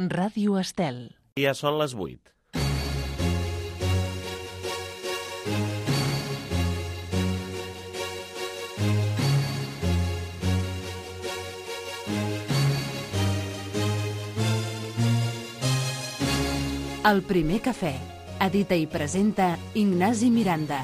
Ràdio Estel. Ja són les 8. El primer cafè. Edita i presenta Ignasi Miranda.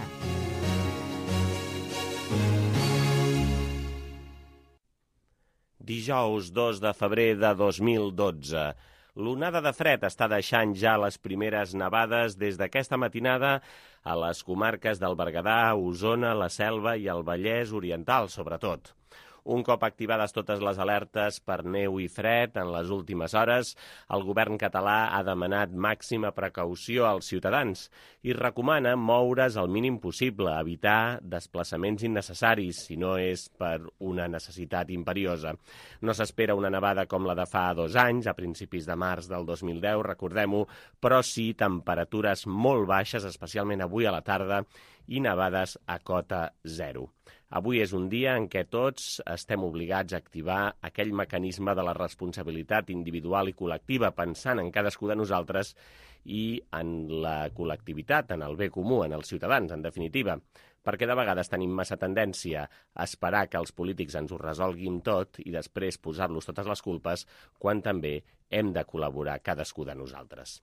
Dijous 2 de febrer de 2012. L'onada de fred està deixant ja les primeres nevades des d'aquesta matinada a les comarques del Berguedà, Osona, la Selva i el Vallès Oriental, sobretot. Un cop activades totes les alertes per neu i fred en les últimes hores, el govern català ha demanat màxima precaució als ciutadans i recomana moure's el mínim possible, evitar desplaçaments innecessaris, si no és per una necessitat imperiosa. No s'espera una nevada com la de fa 2 anys, a principis de març del 2010, recordem-ho, però sí temperatures molt baixes, especialment avui a la tarda, i nevades a cota zero. Avui és un dia en què tots estem obligats a activar aquell mecanisme de la responsabilitat individual i col·lectiva, pensant en cadascú de nosaltres i en la col·lectivitat, en el bé comú, en els ciutadans, en definitiva. Perquè de vegades tenim massa tendència a esperar que els polítics ens ho resolguin tot i després posar-los totes les culpes, quan també hem de col·laborar cadascú de nosaltres.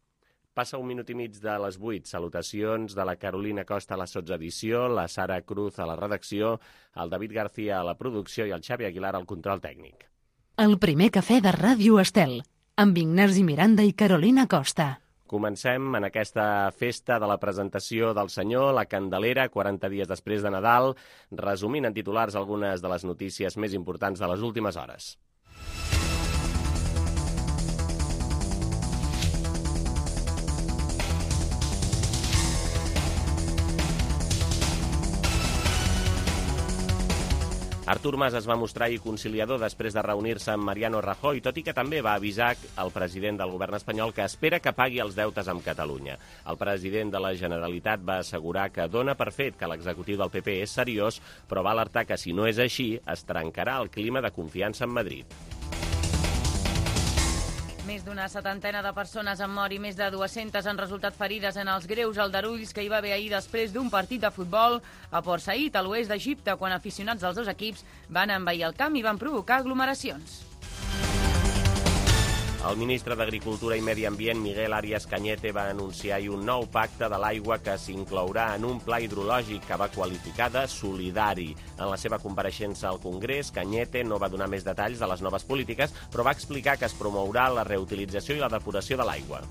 Passa 1 minut i mig de les 8. Salutacions de la Carolina Costa a la sotsedició, la Sara Cruz a la redacció, el David García a la producció i el Xavi Aguilar al control tècnic. El primer cafè de Ràdio Estel, amb Ignasi Miranda i Carolina Costa. Comencem en aquesta festa de la presentació del Senyor, la Candelera, 40 dies després de Nadal, resumint en titulars algunes de les notícies més importants de les últimes hores. Artur Mas es va mostrar conciliador després de reunir-se amb Mariano Rajoy, tot i que també va avisar el president del govern espanyol que espera que pagui els deutes amb Catalunya. El president de la Generalitat va assegurar que dona per fet que l'executiu del PP és seriós, però va alertar que si no és així es trencarà el clima de confiança en Madrid. Més d'una 70 de persones han mort i més de 200 han resultat ferides en els greus aldarulls que hi va haver ahir després d'un partit de futbol a Port Said, a l'oest d'Egipte, quan aficionats dels dos equips van envair el camp i van provocar aglomeracions. El ministre d'Agricultura i Medi Ambient, Miguel Arias Cañete, va anunciar ahir un nou pacte de l'aigua que s'inclourà en un pla hidrològic que va qualificar de solidari. En la seva compareixença al Congrés, Cañete no va donar més detalls de les noves polítiques, però va explicar que es promourà la reutilització i la depuració de l'aigua.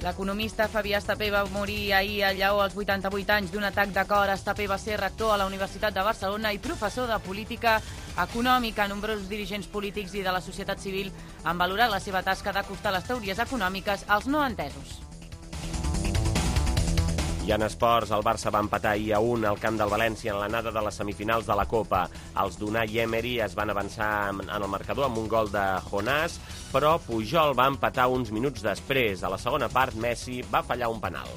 L'economista Fabià Estapé va morir ahir a Lleó als 88 anys d'un atac de cor. Estapé va ser rector a la Universitat de Barcelona i professor de política econòmica. Nombrosos dirigents polítics i de la societat civil han valorat la seva tasca d'acostar les teories econòmiques als no entesos. I en esports, el Barça va empatar ahir a 1 al camp del València en l'anada de les semifinals de la Copa. Els d'Unai Emery es van avançar en el marcador amb un gol de Jonás, però Pujol va empatar uns minuts després. A la segona part, Messi va fallar un penal.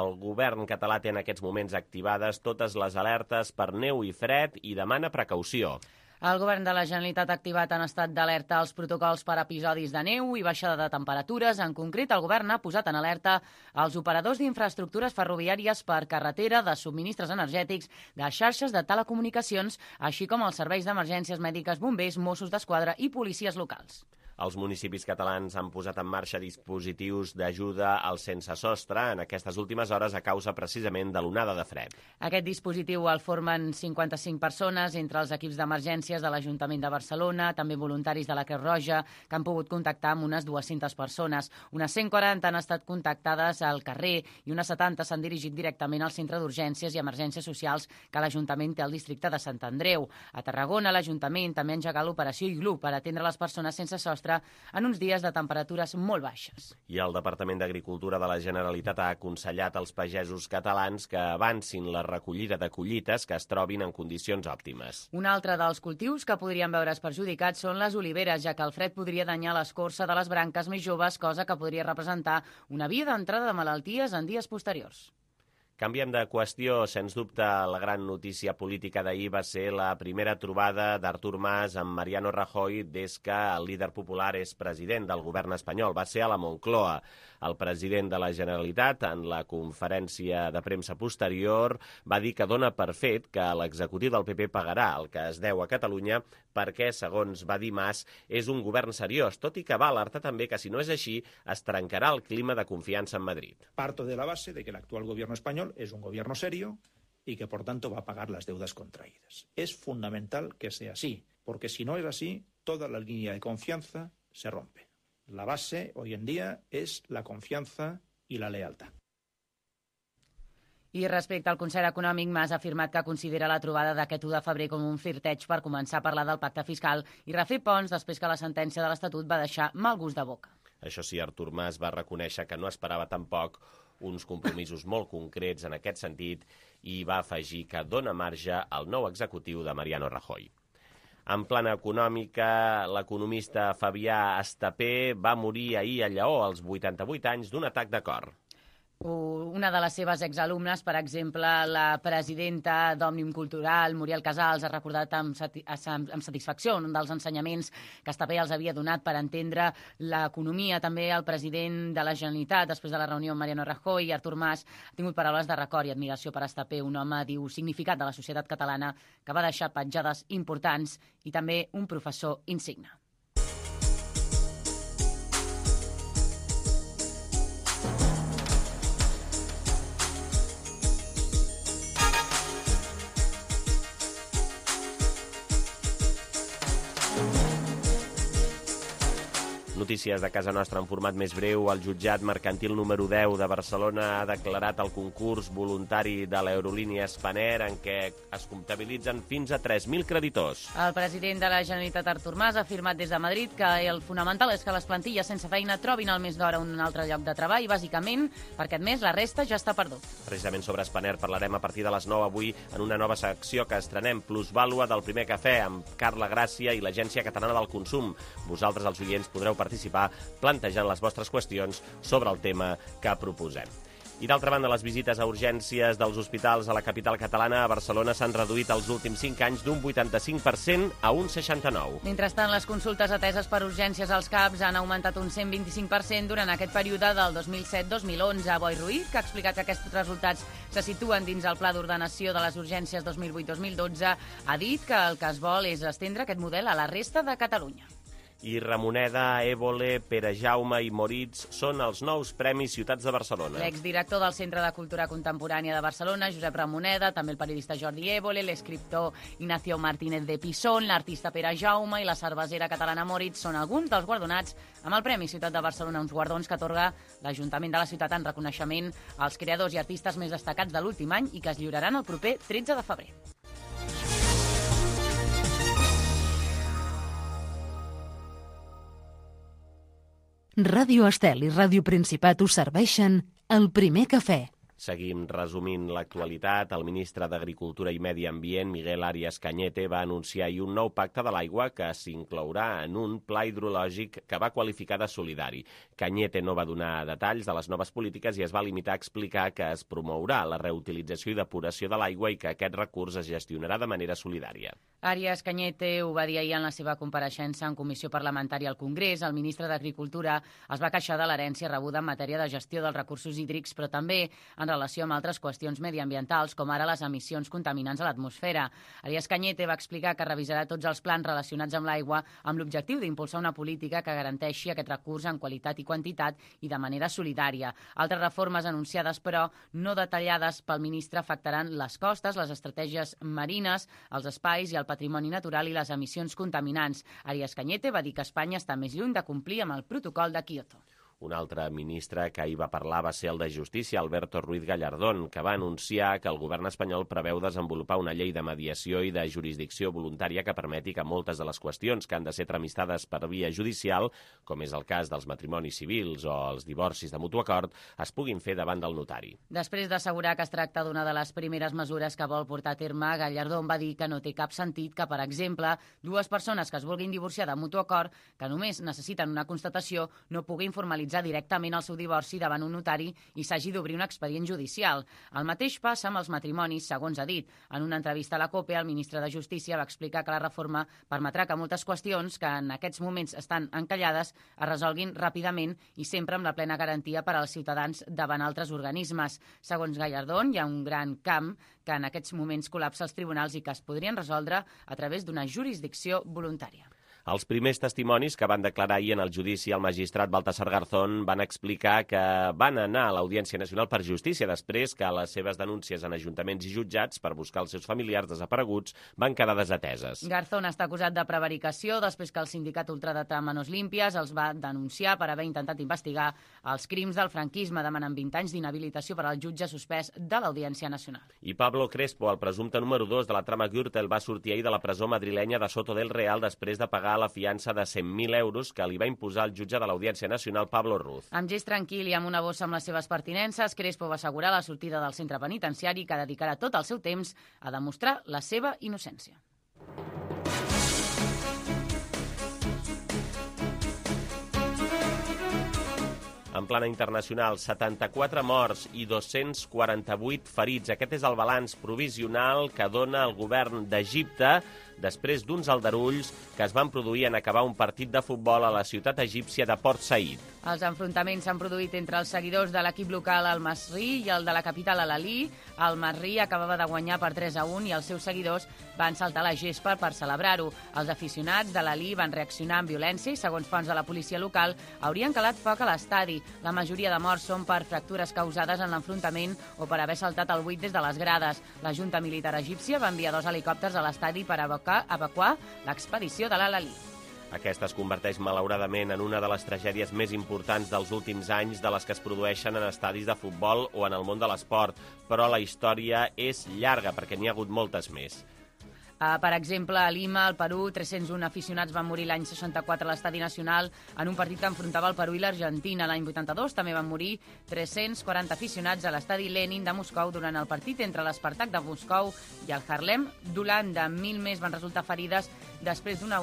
El govern català té en aquests moments activades totes les alertes per neu i fred i demana precaució. El govern de la Generalitat ha activat en estat d'alerta els protocols per episodis de neu i baixada de temperatures. En concret, el govern ha posat en alerta els operadors d'infraestructures ferroviàries per carretera, de subministres energètics, de xarxes de telecomunicacions, així com els serveis d'emergències mèdiques, bombers, Mossos d'Esquadra i policies locals. Els municipis catalans han posat en marxa dispositius d'ajuda als sense sostre en aquestes últimes hores a causa precisament de l'onada de fred. Aquest dispositiu el formen 55 persones, entre els equips d'emergències de l'Ajuntament de Barcelona, també voluntaris de la Creu Roja, que han pogut contactar amb unes 200 persones. Unes 140 han estat contactades al carrer i unes 70 s'han dirigit directament al Centre d'Urgències i Emergències Socials que l'Ajuntament té al districte de Sant Andreu. A Tarragona, l'Ajuntament també ha engegat l'operació Iglú per atendre les persones sense sostre en uns dies de temperatures molt baixes. I el Departament d'Agricultura de la Generalitat ha aconsellat als pagesos catalans que avancin la recollida de collites que es trobin en condicions òptimes. Un altre dels cultius que podrien veure's perjudicats són les oliveres, ja que el fred podria danyar l'escorça de les branques més joves, cosa que podria representar una via d'entrada de malalties en dies posteriors. Canviem de qüestió. Sens dubte, la gran notícia política d'ahir va ser la primera trobada d'Artur Mas amb Mariano Rajoy des que el líder popular és president del govern espanyol. Va ser a la Moncloa. El president de la Generalitat, en la conferència de premsa posterior, va dir que dona per fet que l'executiu del PP pagarà el que es deu a Catalunya perquè, segons va dir Mas, és un govern seriós, tot i que va alertar també que, si no és així, es trencarà el clima de confiança en Madrid. Parto de la base de que el actual gobierno español es un gobierno serio y que, por tanto, va a pagar las deudas contraídas. Es fundamental que sea así, porque si no es así, toda la línea de confianza se rompe. La base, hoy en día, es la confianza y la lealtad. I respecte al Consell Econòmic, Mas ha afirmat que considera la trobada d'aquest 1 de febrer com un flirteig per començar a parlar del pacte fiscal i refer ponts després que la sentència de l'Estatut va deixar mal gust de boca. Això sí, Artur Mas va reconèixer que no esperava tampoc uns compromisos molt concrets en aquest sentit i va afegir que dona marge al nou executiu de Mariano Rajoy. En plana econòmica, l'economista Fabià Estapé va morir ahir a Lleó als 88 anys d'un atac de cor. Una de les seves exalumnes, per exemple, la presidenta d'Òmnium Cultural, Muriel Casals, ha recordat amb satisfacció un dels ensenyaments que Estapé els havia donat per entendre l'economia. També el president de la Generalitat, després de la reunió amb Mariano Rajoy, Artur Mas, ha tingut paraules de record i admiració per Estapé, un home, diu, significat de la societat catalana, que va deixar petjades importants i també un professor insigne. Notícies de casa nostra en format més breu. El jutjat mercantil número 10 de Barcelona ha declarat el concurs voluntari de l'aerolínia Spanair en què es comptabilitzen fins a 3.000 creditors. El president de la Generalitat, Artur Mas, ha afirmat des de Madrid que el fonamental és que les plantilles sense feina trobin al mes d'hora un altre lloc de treball, bàsicament perquè aquest mes la resta ja està perdut. Precisament sobre Spanair parlarem a partir de les 9 avui en una nova secció que estrenem, Plusvàlua del Primer Cafè, amb Carla Gràcia i l'Agència Catalana del Consum. Vosaltres, els oients, podreu participar plantejant les vostres qüestions sobre el tema que proposem. I d'altra banda, les visites a urgències dels hospitals a la capital catalana, a Barcelona, s'han reduït els últims 5 anys d'un 85% a un 69%. Mentrestant, les consultes ateses per urgències als CAPs han augmentat un 125% durant aquest període del 2007-2011. Boi Ruiz, que ha explicat que aquests resultats se situen dins el Pla d'Ordenació de les Urgències 2008-2012, ha dit que el que es vol és estendre aquest model a la resta de Catalunya. I Ramoneda, Évole, Perejaume i Moritz són els nous Premis Ciutats de Barcelona. L'exdirector del Centre de Cultura Contemporània de Barcelona, Josep Ramoneda, també el periodista Jordi Évole, l'escriptor Ignacio Martínez de Pisón, l'artista Perejaume i la cervesera catalana Moritz són alguns dels guardonats amb el Premi Ciutat de Barcelona, uns guardons que atorga l'Ajuntament de la ciutat en reconeixement als creadors i artistes més destacats de l'últim any i que es lliuraran el proper 13 de febrer. Ràdio Estel i Ràdio Principat us serveixen el Primer Cafè. Seguim resumint l'actualitat. El ministre d'Agricultura i Medi Ambient, Miguel Arias Cañete, va anunciar ahir un nou pacte de l'aigua que s'inclourà en un pla hidrològic que va qualificar de solidari. Cañete no va donar detalls de les noves polítiques i es va limitar a explicar que es promourà la reutilització i depuració de l'aigua i que aquest recurs es gestionarà de manera solidària. Arias Cañete ho va dir ahir en la seva compareixença en comissió parlamentària al Congrés. El ministre d'Agricultura es va queixar de l'herència rebuda en matèria de gestió dels recursos hídrics, però també en relació amb altres qüestions mediambientals, com ara les emissions contaminants a l'atmosfera. Arias Cañete va explicar que revisarà tots els plans relacionats amb l'aigua amb l'objectiu d'impulsar una política que garanteixi aquest recurs en qualitat i quantitat i de manera solidària. Altres reformes anunciades, però, no detallades pel ministre afectaran les costes, les estratègies marines, els espais i el patrimoni natural i les emissions contaminants. Arias Cañete va dir que Espanya està més lluny de complir amb el protocol de Kyoto. Un altre ministre que ahir va parlar va ser el de Justícia, Alberto Ruiz Gallardón, que va anunciar que el govern espanyol preveu desenvolupar una llei de mediació i de jurisdicció voluntària que permeti que moltes de les qüestions que han de ser tramistades per via judicial, com és el cas dels matrimonis civils o els divorcis de mutu acord, es puguin fer davant del notari. Després d'assegurar que es tracta d'una de les primeres mesures que vol portar a terme, Gallardón va dir que no té cap sentit que, per exemple, dues persones que es vulguin divorciar de mutu acord, que només necessiten una constatació, no puguin formalitzar formalitzar directament el seu divorci davant un notari i s'hagi d'obrir un expedient judicial. El mateix passa amb els matrimonis, segons ha dit. En una entrevista a la COPE, el ministre de Justícia va explicar que la reforma permetrà que moltes qüestions que en aquests moments estan encallades es resolguin ràpidament i sempre amb la plena garantia per als ciutadans davant altres organismes. Segons Gallardón, hi ha un gran camp que en aquests moments col·lapsa els tribunals i que es podrien resoldre a través d'una jurisdicció voluntària. Els primers testimonis que van declarar ahir en el judici al magistrat Baltasar Garzón van explicar que van anar a l'Audiència Nacional per Justícia després que les seves denúncies en ajuntaments i jutjats per buscar els seus familiars desapareguts van quedar desateses. Garzón està acusat de prevaricació després que el sindicat ultradretà Manos Limpias els va denunciar per haver intentat investigar els crims del franquisme, demanant 20 anys d'inhabilitació per al jutge suspès de l'Audiència Nacional. I Pablo Crespo, el presumpte número 2 de la trama Gürtel, va sortir ahir de la presó madrilenya de Soto del Real després de pagar la fiança de 100.000 euros que li va imposar el jutge de l'Audiència Nacional, Pablo Ruz. Amb gest tranquil i amb una bossa amb les seves pertinences, Crespo va assegurar la sortida del centre penitenciari que dedicarà tot el seu temps a demostrar la seva innocència. En plana internacional, 74 morts i 248 ferits. Aquest és el balanç provisional que dona el govern d'Egipte després d'uns aldarulls que es van produir en acabar un partit de futbol a la ciutat egípcia de Port Said. Els enfrontaments s'han produït entre els seguidors de l'equip local Al Masry i el de la capital Al Ahly. El Masry acabava de guanyar per 3-1 i els seus seguidors van saltar la gespa per celebrar-ho. Els aficionats de l'Ahly van reaccionar amb violència i, segons fonts de la policia local, haurien calat foc a l'estadi. La majoria de morts són per fractures causades en l'enfrontament o per haver saltat el buit des de les grades. La Junta Militar Egípcia va enviar 2 helicòpters a l'estadi per evacuar l'expedició de l'Al-Ahly. Aquesta es converteix, malauradament, en una de les tragèdies més importants dels últims anys de les que es produeixen en estadis de futbol o en el món de l'esport, però la història és llarga perquè n'hi ha hagut moltes més. Per exemple, a Lima, al Perú, 301 aficionats van morir l'any 64 a l'Estadi Nacional en un partit que enfrontava el Perú i l'Argentina. L'any 82 també van morir 340 aficionats a l'Estadi Lenin de Moscou durant el partit entre l'Spartak de Moscou i el Harlem d'Holanda. 1.000 més van resultar ferides després d'una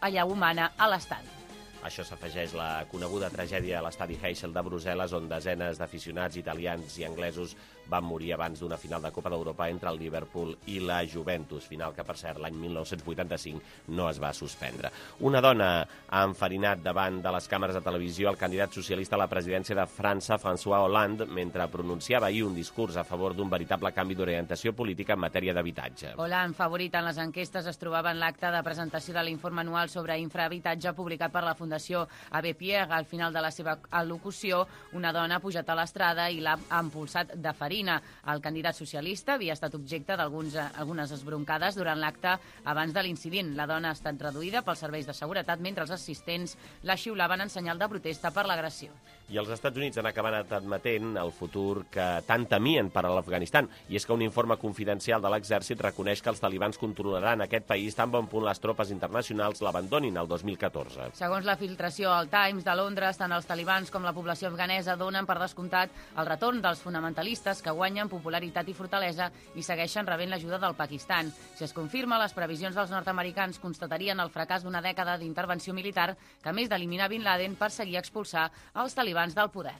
allau humana a l'estadi. Això s'afegeix la coneguda tragèdia a l'estadi Heysel de Brussel·les, on desenes d'aficionats italians i anglesos van morir abans d'una final de Copa d'Europa entre el Liverpool i la Juventus, final que, per cert, l'any 1985 no es va suspendre. Una dona ha enfarinat davant de les càmeres de televisió el candidat socialista a la presidència de França, François Hollande, mentre pronunciava ahir un discurs a favor d'un veritable canvi d'orientació política en matèria d'habitatge. Hollande, favorit en les enquestes, es trobava en l'acte de presentació de l'informe anual sobre infrahabitatge publicat per la Fundació Abbé Pierre. Al final de la seva al·locució, una dona ha pujat a l'estrada i l'ha empolsat de farina. El candidat socialista havia estat objecte d'algunes esbroncades durant l'acte abans de l'incident. La dona ha estat reduïda pels serveis de seguretat mentre els assistents la xiulaven en senyal de protesta per l'agressió. I els Estats Units han acabat admetent el futur que tant temien per a l'Afganistan, i és que un informe confidencial de l'exèrcit reconeix que els talibans controlaran aquest país tan bon punt les tropes internacionals l'abandonin el 2014. Segons la filtració al Times de Londres, tant els talibans com la població afganesa donen per descomptat el retorn dels fonamentalistes que guanyen popularitat i fortalesa i segueixen rebent l'ajuda del Pakistan. Si es confirma, les previsions dels nord-americans constatarien el fracàs d'una dècada d'intervenció militar que, a més d'eliminar Bin Laden, perseguia expulsar els talibans del poder.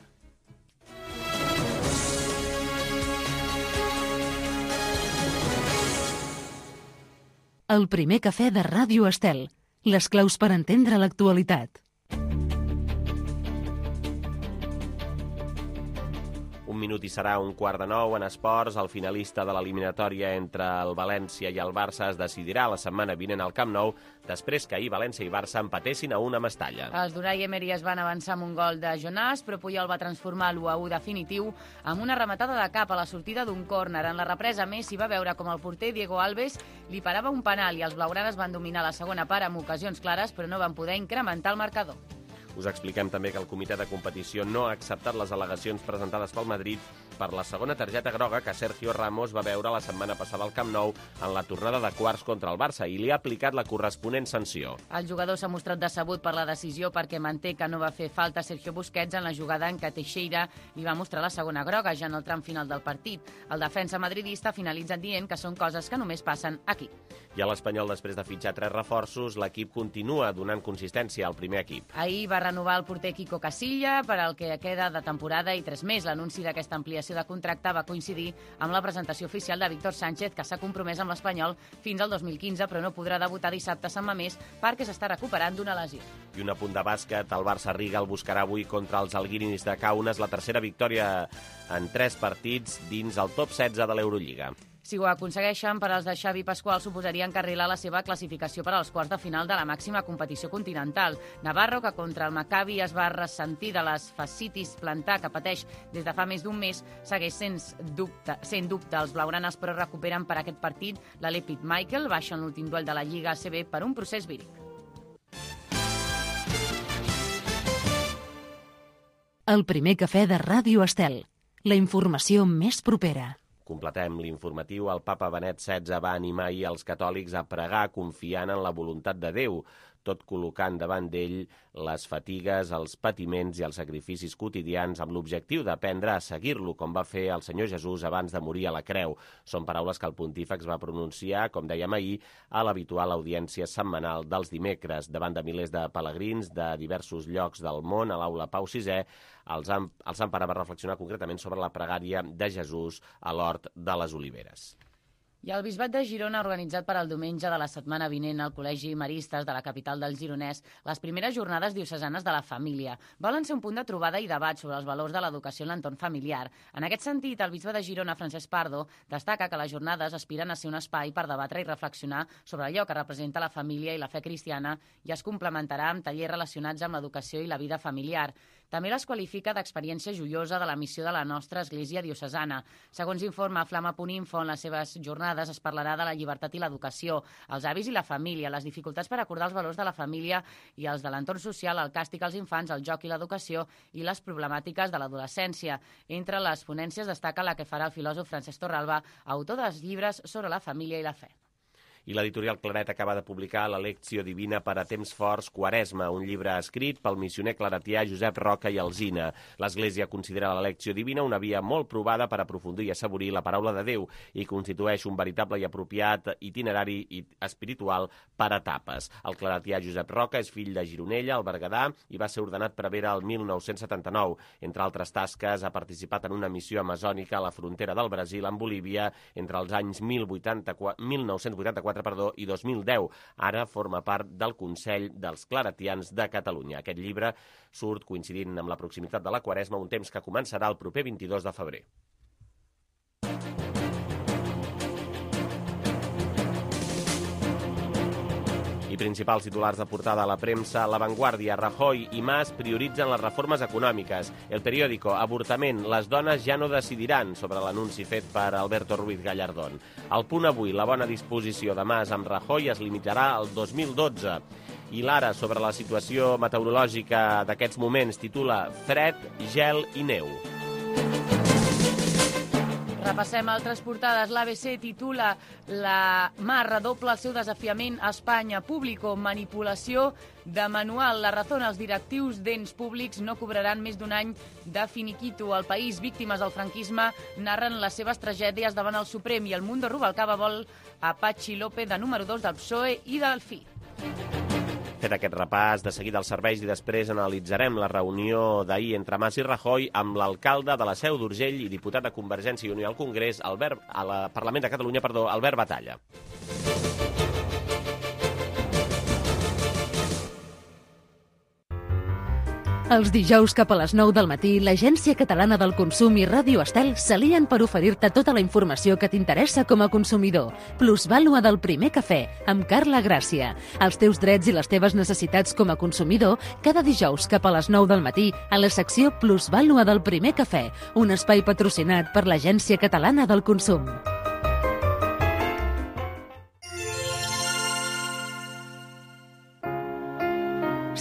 El primer cafè de Ràdio Estel. Les claus per entendre l'actualitat. Un minut i serà 8:45 en esports. El finalista de l'eliminatòria entre el València i el Barça es decidirà la setmana vinent al Camp Nou, després que ahir València i Barça empatessin a una a Mestalla. Els d'Unai Emery es van avançar amb un gol de Jonàs, però Puyol va transformar l'1-1 definitiu amb una rematada de cap a la sortida d'un córner. En la represa, Messi va veure com el porter Diego Alves li parava un penal i els blaugranes van dominar la segona part amb ocasions clares, però no van poder incrementar el marcador. Us expliquem també que el comitè de competició no ha acceptat les al·legacions presentades pel Madrid per la segona targeta groga que Sergio Ramos va veure la setmana passada al Camp Nou en la tornada de quarts contra el Barça i li ha aplicat la corresponent sanció. El jugador s'ha mostrat decebut per la decisió perquè manté que no va fer falta Sergio Busquets en la jugada en què Teixeira li va mostrar la segona groga ja en el tram final del partit. El defensa madridista finalitza dient que són coses que només passen aquí. I a l'Espanyol, després de fitxar 3 reforços, l'equip continua donant consistència al primer equip. Ahir va renovar el porter Kiko Casilla per al que queda de temporada i 3 més. L'anunci d'aquesta ampliació de contracte va coincidir amb la presentació oficial de Víctor Sánchez, que s'ha compromès amb l'Espanyol fins al 2015, però no podrà debutar dissabte a Sant Mamés perquè s'està recuperant d'una lesió. I un apunt de bàsquet, el Barça Riga el buscarà avui contra els alguirinis de Kaunas, la tercera victòria en 3 partits dins el top 16 de l'Eurolliga. Si ho aconsegueixen, per als de Xavi Pasqual suposaria encarrilar la seva classificació per als quarts de final de la màxima competició continental. Navarro, que contra el Maccabi es va ressentir de les fascitis plantar que pateix des de fa més d'un mes, segueix sent dubte. Els blaugranes, però, recuperen per aquest partit l'Alep Michael, baixa en l'últim duel de la Lliga ACB per un procés víric. El primer cafè de Ràdio Estel. La informació més propera. Completem l'informatiu. El papa Benet XVI va animar ahir els catòlics a pregar confiant en la voluntat de Déu, tot col·locant davant d'ell les fatigues, els patiments i els sacrificis quotidians amb l'objectiu d'aprendre a seguir-lo, com va fer el Senyor Jesús abans de morir a la creu. Són paraules que el pontífex va pronunciar, com dèiem ahir, a l'habitual audiència setmanal dels dimecres. Davant de milers de pelegrins de diversos llocs del món, a l'aula Pau VI, el Sant Pare va reflexionar concretament sobre la pregària de Jesús a l'Hort de les Oliveres. I el Bisbat de Girona ha organitzat per al diumenge de la setmana vinent al Col·legi Maristes de la capital del Gironès les primeres jornades diocesanes de la família. Volen ser un punt de trobada i debat sobre els valors de l'educació en l'entorn familiar. En aquest sentit, el bisbe de Girona, Francesc Pardo, destaca que les jornades aspiren a ser un espai per debatre i reflexionar sobre allò que representa la família i la fe cristiana i es complementarà amb tallers relacionats amb l'educació i la vida familiar. També les qualifica d'experiència joiosa de la missió de la nostra Església diocesana. Segons informa Flama.info, en les seves jornades es parlarà de la llibertat i l'educació, els avis i la família, les dificultats per acordar els valors de la família i els de l'entorn social, el càstig als infants, el joc i l'educació i les problemàtiques de l'adolescència. Entre les ponències destaca la que farà el filòsof Francesc Torralba, autor dels llibres sobre la família i la fe. I l'editorial Claret acaba de publicar la Lectio Divina per a temps forts Quaresma, un llibre escrit pel missioner claretià Josep Roca i Alsina. L'Església considera la Lectio Divina una via molt provada per aprofundir i assaborir la paraula de Déu i constitueix un veritable i apropiat itinerari espiritual per etapes. El claretià Josep Roca és fill de Gironella, al Berguedà, i va ser ordenat prevere el 1979. Entre altres tasques, ha participat en una missió amazònica a la frontera del Brasil amb Bolívia entre els anys 1984 i 2010. Ara forma part del Consell dels Claretians de Catalunya. Aquest llibre surt coincidint amb la proximitat de la Quaresma, un temps que començarà el proper 22 de febrer. I principals titulars de portada a la premsa: La Vanguardia, Rajoy i Mas prioritzen les reformes econòmiques. El Periódico, avortament, les dones ja no decidiran, sobre l'anunci fet per Alberto Ruiz Gallardón. El Punt avui, la bona disposició de Mas amb Rajoy es limitarà al 2012. I l'Ara, sobre la situació meteorològica d'aquests moments, titula Fred, gel i neu. Repassem altres portades. L'ABC titula La Mar redobla el seu desafiament a Espanya. Público, manipulació de manual. La Razón, els directius d'ens públics no cobraran més d'un any de finiquito. El País, víctimes del franquisme, narren les seves tragèdies davant el Suprem. I el Mundo Rubalcaba vol a Patxi López de número 2 del PSOE i del FI. Fet aquest repàs, de seguida als serveis i després analitzarem la reunió d'ahir entre Mas i Rajoy amb l'alcalde de la Seu d'Urgell i diputat de Convergència i Unió al Congrés, al Parlament de Catalunya, Albert Batalla. Els dijous cap a les 9 del matí, l'Agència Catalana del Consum i Ràdio Estel s'alien per oferir-te tota la informació que t'interessa com a consumidor. Plusvàlua del primer cafè, amb Carla Gràcia. Els teus drets i les teves necessitats com a consumidor, cada dijous cap a les 9 del matí, a la secció Plusvàlua del primer cafè, un espai patrocinat per l'Agència Catalana del Consum.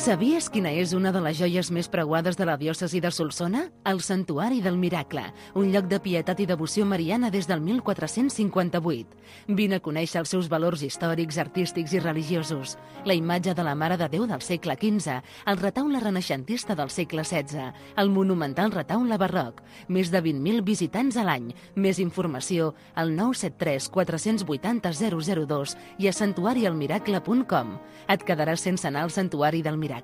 Sabies quina és una de les joies més preuades de la diòcesi de Solsona? El Santuari del Miracle, un lloc de pietat i devoció mariana des del 1458. Vine a conèixer els seus valors històrics, artístics i religiosos. La imatge de la Mare de Déu del segle XV, el retaule renaixentista del segle XVI, el monumental retaule barroc, més de 20.000 visitants a l'any. Més informació al 973 480 002 i a santuarialmiracle.com. Et quedaràs sense anar al Santuari del Miracle?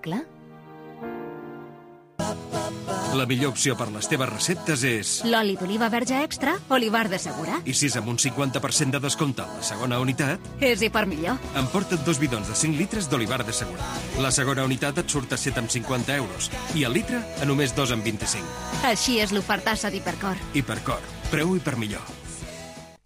La millor opció per les teves receptes és... L'oli d'oliva verge extra, Olivar de Segura. I si és amb un 50% de descompte a la segona unitat... És i per millor. Emporta't 2 bidons de 5 litres d'Olivar de Segura. La segona unitat et surt a 7,50 euros i el litre a només 2,25. Així és l'ofertassa d'Hipercor. Hipercor. Preu i per millor.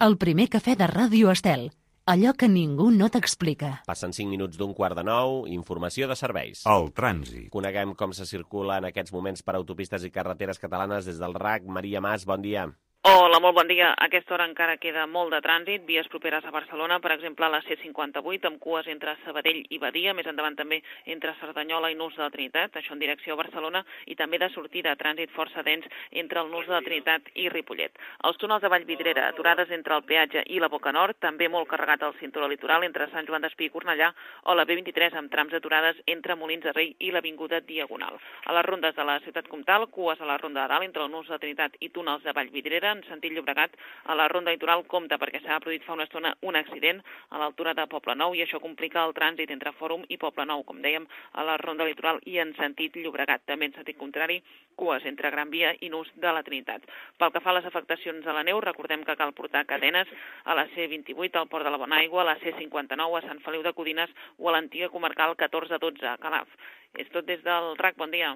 El primer cafè de Ràdio Estel. Allò que ningú no t'explica. Passen 5 minuts d'un 8:45, informació de serveis. El trànsit. Coneguem com se circula en aquests moments per autopistes i carreteres catalanes des del RAC. Maria Mas, bon dia. Hola, molt bon dia. A aquesta hora encara queda molt de trànsit, vies properes a Barcelona, per exemple, a la C58, amb cues entre Sabadell i Badia, més endavant també entre Cerdanyola i Nus de la Trinitat, això en direcció a Barcelona, i també de sortida, trànsit força dens entre el Nus de la Trinitat i Ripollet. Els túnels de Vallvidrera, aturades entre el peatge i la Boca Nord, també molt carregat al cinturó litoral entre Sant Joan d'Espí i Cornellà, o la B23 amb trams aturades entre Molins de Rei i l'Avinguda Diagonal. A les rondes de la Ciutat Comtal, cues a la Ronda de Dalt entre el Nus de la Trinitat i túnels de Vallvidrera, en sentit Llobregat, a la Ronda Litoral compta perquè s'ha produït fa una estona un accident a l'altura de Poblenou i això complica el trànsit entre Fòrum i Poblenou, com dèiem, a la Ronda Litoral i en sentit Llobregat. També en sentit contrari, cues entre Gran Via i Nus de la Trinitat. Pel que fa a les afectacions a la neu, recordem que cal portar cadenes a la C28, al Port de la Bonaigua, a la C59, a Sant Feliu de Codines o a l'antiga comarcal 1412, a Calaf. És tot des del RAC. Bon dia.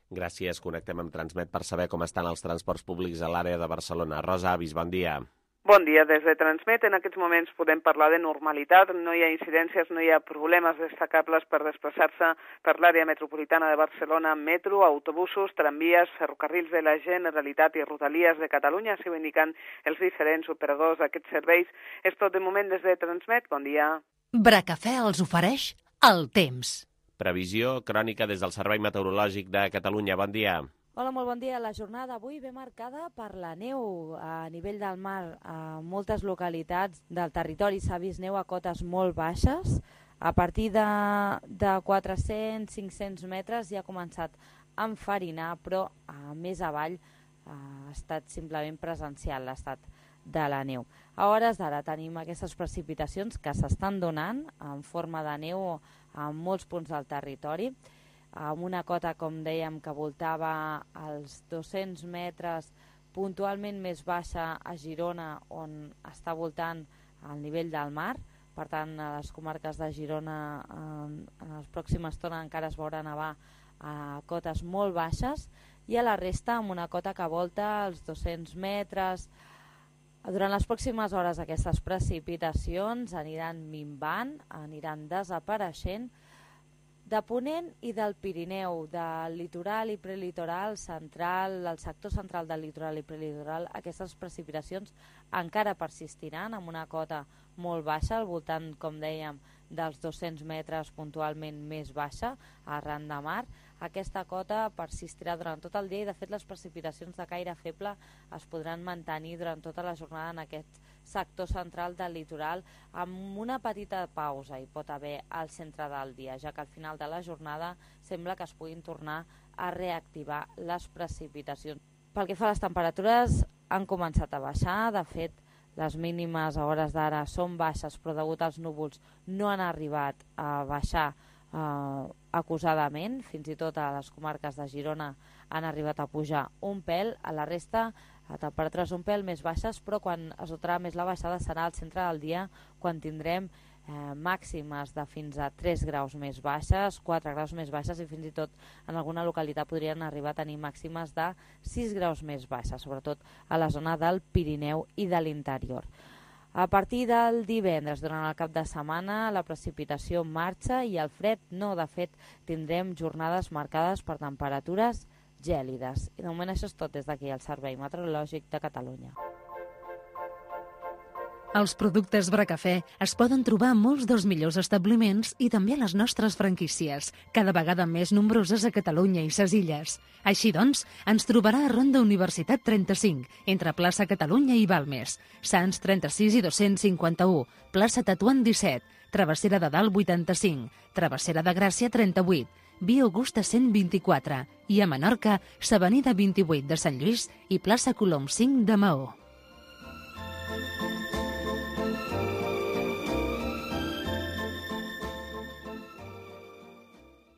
Gràcies. Connectem amb Transmet per saber com estan els transports públics a l'àrea de Barcelona. Rosa Avis, bon dia. Bon dia. Des de Transmet, en aquests moments podem parlar de normalitat. No hi ha incidències, no hi ha problemes destacables per desplaçar-se per l'àrea metropolitana de Barcelona amb metro, autobusos, tramvies, ferrocarrils de la Generalitat i Rodalies de Catalunya, així ho indiquen els diferents operadors d'aquests serveis. És tot de moment des de Transmet. Bon dia. Bracafè els ofereix el temps. Previsió crònica des del Servei Meteorològic de Catalunya. Bon dia. Hola, molt bon dia. La jornada d'avui ve marcada per la neu a nivell del mar. A moltes localitats del territori s'ha vist neu a cotes molt baixes. A partir de 400-500 metres ja ha començat a enfarinar, però més avall ha estat simplement presencial l'estat de la neu. A hores d'ara tenim aquestes precipitacions que s'estan donant en forma de neu a molts punts del territori, amb una cota, com dèiem, que voltava als 200 metres, puntualment més baixa a Girona, on està voltant al nivell del mar. Per tant, a les comarques de Girona en la pròxima estona encara es veurà nevar a cotes molt baixes, i a la resta amb una cota que volta als 200 metres. Durant les pròximes hores aquestes precipitacions aniran minvant, aniran desapareixent. De Ponent i del Pirineu, del litoral i prelitoral central, del sector central del litoral i prelitoral, aquestes precipitacions encara persistiran amb una cota molt baixa, al voltant, com dèiem, dels 200 metres, puntualment més baixa, arran de mar. Aquesta cota persistirà durant tot el dia i, de fet, les precipitacions de caire feble es podran mantenir durant tota la jornada en aquest sector central del litoral, amb una petita pausa hi pot haver al centre del dia, ja que al final de la jornada sembla que es puguin tornar a reactivar les precipitacions. Pel que fa a les temperatures, han començat a baixar. De fet, les mínimes a hores d'ara són baixes, però degut als núvols no han arribat a baixar acusadament. Fins i tot a les comarques de Girona han arribat a pujar un pèl. A la resta, a temperatures un pèl més baixes, però quan es notarà més la baixada serà al centre del dia, quan tindrem màximes de fins a 3 graus més baixes, 4 graus més baixes, i fins i tot en alguna localitat podrien arribar a tenir màximes de 6 graus més baixes, sobretot a la zona del Pirineu i de l'interior. A partir del divendres, durant el cap de setmana, la precipitació marxa i el fred no. De fet, tindrem jornades marcades per temperatures gèlides. I de moment això és tot des d'aquí, el Servei Meteorològic de Catalunya. Els productes Bracafè es poden trobar a molts dels millors establiments i també a les nostres franquícies, cada vegada més nombroses a Catalunya i ses Illes. Així doncs, ens trobarà a Ronda Universitat 35, entre plaça Catalunya i Balmes, Sants 36 i 251, plaça Tatuant 17, Travessera de Dalt 85, Travessera de Gràcia 38, Via Augusta 124 i a Menorca, s'Avenida 28 de Sant Lluís i plaça Colom 5 de Maó.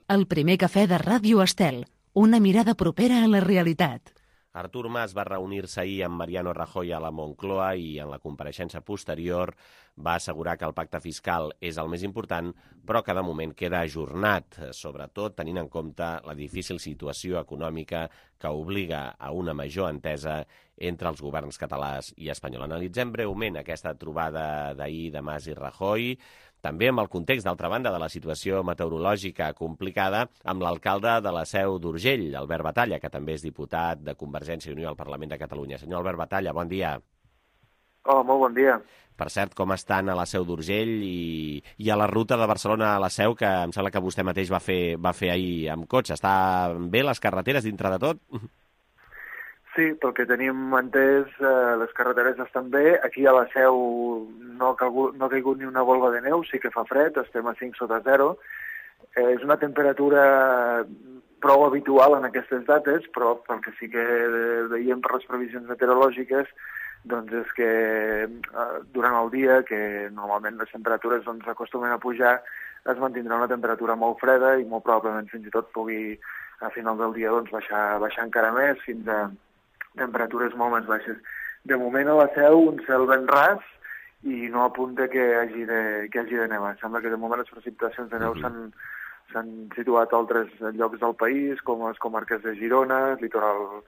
El primer cafè de Ràdio Estel, una mirada propera a la realitat. Artur Mas va reunir-se ahir amb Mariano Rajoy a la Moncloa i en la compareixença posterior va assegurar que el pacte fiscal és el més important, però que de moment queda ajornat, sobretot tenint en compte la difícil situació econòmica que obliga a una major entesa entre els governs català i espanyol. Analitzem breument aquesta trobada d'ahir de Mas i Rajoy, també amb el context, d'altra banda, de la situació meteorològica complicada, amb l'alcalde de la Seu d'Urgell, Albert Batalla, que també és diputat de Convergència i Unió al Parlament de Catalunya. Senyor Albert Batalla, bon dia. Hola, molt bon dia. Per cert, com estan a la Seu d'Urgell i a la ruta de Barcelona a la Seu, que em sembla que vostè mateix va fer ahir amb cotxe? Estan bé les carreteres dintre de tot? Sí, pel que tenim entès, les carreteres estan bé. Aquí a la Seu no ha caigut ni una volva de neu, sí que fa fred, estem a 5 sota 0. És una temperatura prou habitual en aquestes dates, però pel que sí que veiem per les previsions meteorològiques, doncs és que durant el dia, que normalment les temperatures acostumen a pujar, es mantindrà una temperatura molt freda i molt probablement fins i tot pugui a final del dia baixar encara més fins a temperatures molt més baixes. De moment a la Seu un cel ben ras i no apunta que hagi de nevar. Sembla que de moment les precipitacions de neu s'han situat a altres llocs del país, com les comarques de Girona, litoral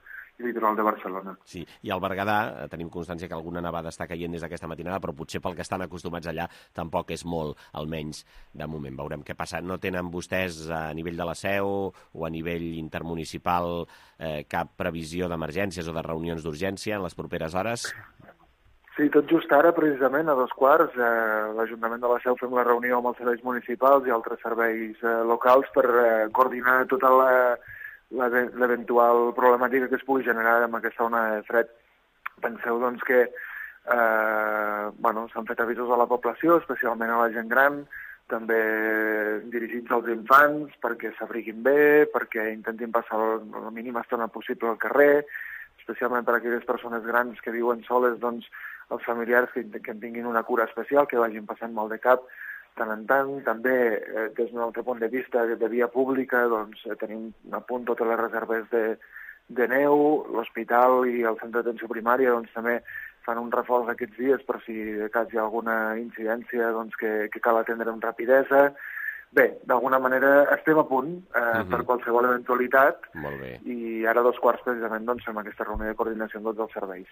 de Barcelona. Sí, i al Berguedà tenim constància que alguna nevada està caient des d'aquesta matinada, però potser pel que estan acostumats allà tampoc és molt, almenys de moment. Veurem què passa. No tenen vostès a nivell de la Seu o a nivell intermunicipal cap previsió d'emergències o de reunions d'urgència en les properes hores? Sí, tot just ara, precisament, a 2:15, l'Ajuntament de la Seu fem la reunió amb els serveis municipals i altres serveis locals per coordinar tota l'eventual problemàtica que es pugui generar amb aquesta ona de fred. Penseu, doncs, que s'han fet avisos a la població, especialment a la gent gran, també dirigits als infants, perquè s'abriguin bé, perquè intentin passar la mínima estona possible al carrer, especialment per a aquelles persones grans que viuen soles, doncs, els familiars que en tinguin una cura especial, que vagin passant mal de cap, tant en tant. També, des d'un altre punt de vista de via pública, doncs, tenim a punt totes les reserves de neu, l'hospital i el centre d'atenció primària doncs, també fan un reforç aquests dies per si de cas hi ha alguna incidència doncs, que cal atendre amb rapidesa. Bé, d'alguna manera estem a punt per qualsevol eventualitat. Molt bé. I ara a 2:15 precisament doncs, fem aquesta reunió de coordinació amb tots els serveis.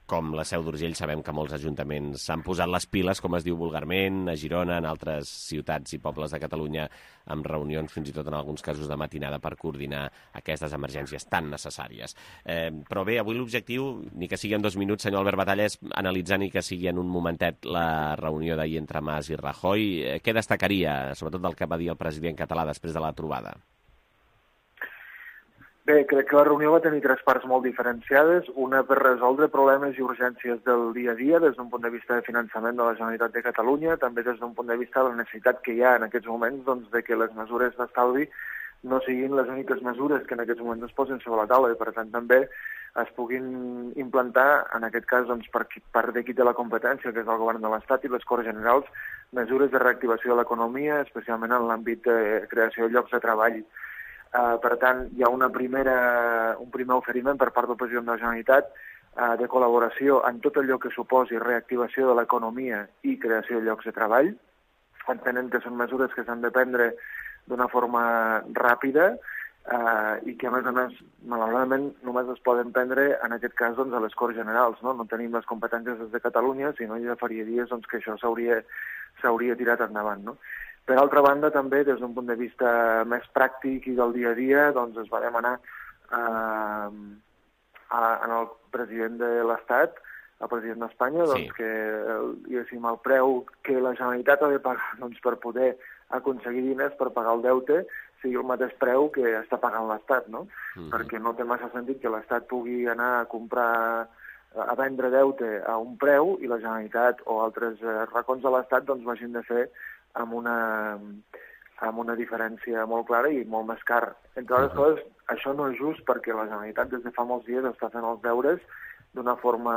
Com la Seu d'Urgell, sabem que molts ajuntaments s'han posat les piles, com es diu vulgarment, a Girona, en altres ciutats i pobles de Catalunya, amb reunions, fins i tot en alguns casos de matinada, per coordinar aquestes emergències tan necessàries. Però bé, avui l'objectiu, ni que sigui en 2 minuts, senyor Albert Batalla, és analitzar ni que sigui en un momentet la reunió d'ahir entre Mas i Rajoy. Què destacaria, sobretot del que va dir el president català després de la trobada? Bé, crec que la reunió va tenir 3 parts molt diferenciades, una per resoldre problemes i urgències del dia a dia des d'un punt de vista de finançament de la Generalitat de Catalunya, també des d'un punt de vista de la necessitat que hi ha en aquests moments doncs, de que les mesures d'estalvi no siguin les úniques mesures que en aquests moments es posen sobre la taula i per tant també es puguin implantar, en aquest cas doncs, per part de qui té la competència, que és el Govern de l'Estat i les Corts Generals, mesures de reactivació de l'economia, especialment en l'àmbit de creació de llocs de treball. Per tant, hi ha un primer oferiment per part del president de la Generalitat de col·laboració en tot allò que suposi reactivació de l'economia i creació de llocs de treball. Entenem que són mesures que s'han de prendre d'una forma ràpida i que, a més, malauradament, només es poden prendre, en aquest cas, doncs, a les Corts Generals. No tenim les competències des de Catalunya, si no ja faria dies doncs, que això s'hauria tirat endavant, no? Per altra banda, també, des d'un punt de vista més pràctic i del dia a dia, doncs es va demanar al president de l'Estat el president d'Espanya, doncs que el preu que la Generalitat ha de pagar per poder aconseguir diners per pagar el deute sigui el mateix preu que està pagant l'Estat, no? Perquè no té massa sentit que l'Estat pugui anar a comprar, a vendre deute a un preu i la Generalitat o altres racons de l'Estat doncs vagin de fer amb una diferència molt clara i molt més car. Entre altres coses, això no és just perquè la Generalitat des de fa molts dies està fent els deures d'una forma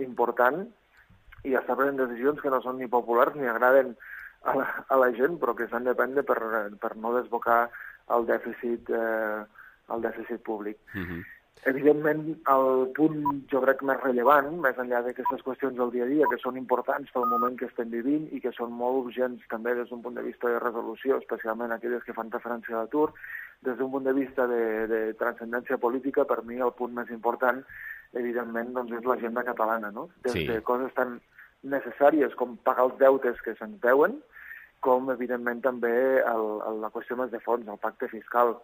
important i està prenent decisions que no són ni populars ni agraden a la gent, però que s'han de prendre per no desbocar el dèficit públic. Evidentment, el punt, jo crec, més rellevant, més enllà d'aquestes qüestions del dia a dia, que són importants pel moment que estem vivint i que són molt urgents també des d'un punt de vista de resolució, especialment aquelles que fan referència a l'atur, des d'un punt de vista de transcendència política, per mi el punt més important, evidentment, doncs és l'agenda catalana, no? Des de coses tan necessàries com pagar els deutes que se'ns deuen, com, evidentment, també la qüestió més de fons, el pacte fiscal,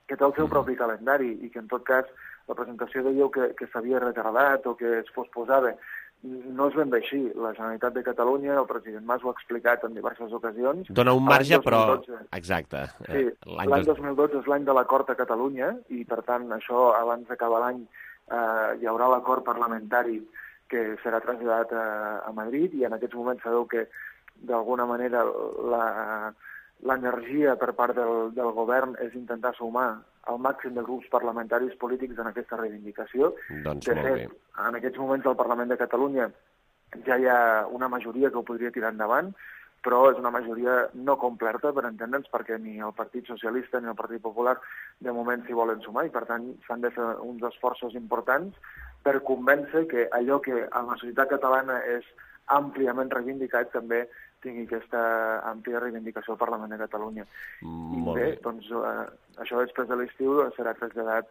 que té el seu propi calendari i que, en tot cas, la presentació de lleu que s'havia retardat o que es posposava no és ben bé així. La Generalitat de Catalunya, el president Mas ho ha explicat en diverses ocasions. Dona un marge, però... Exacte. Sí, l'any 2012 és l'any de l'acord a Catalunya i, per tant, això, abans d'acabar l'any, hi haurà l'acord parlamentari que serà traslladat a Madrid i en aquests moments sabeu que, d'alguna manera, l'energia per part del govern és intentar sumar el màxim de grups parlamentaris polítics en aquesta reivindicació. Doncs de molt fet, bé. en aquests moments al Parlament de Catalunya ja hi ha una majoria que ho podria tirar endavant, però és una majoria no completa, per entendre'ns, perquè ni el Partit Socialista ni el Partit Popular de moment s'hi volen sumar i, per tant, s'han de fer uns esforços importants per convèncer que allò que a la societat catalana és àmpliament reivindicat també tingui aquesta àmplia reivindicació al Parlament de Catalunya. I bé, doncs això després de l'estiu serà traslladat,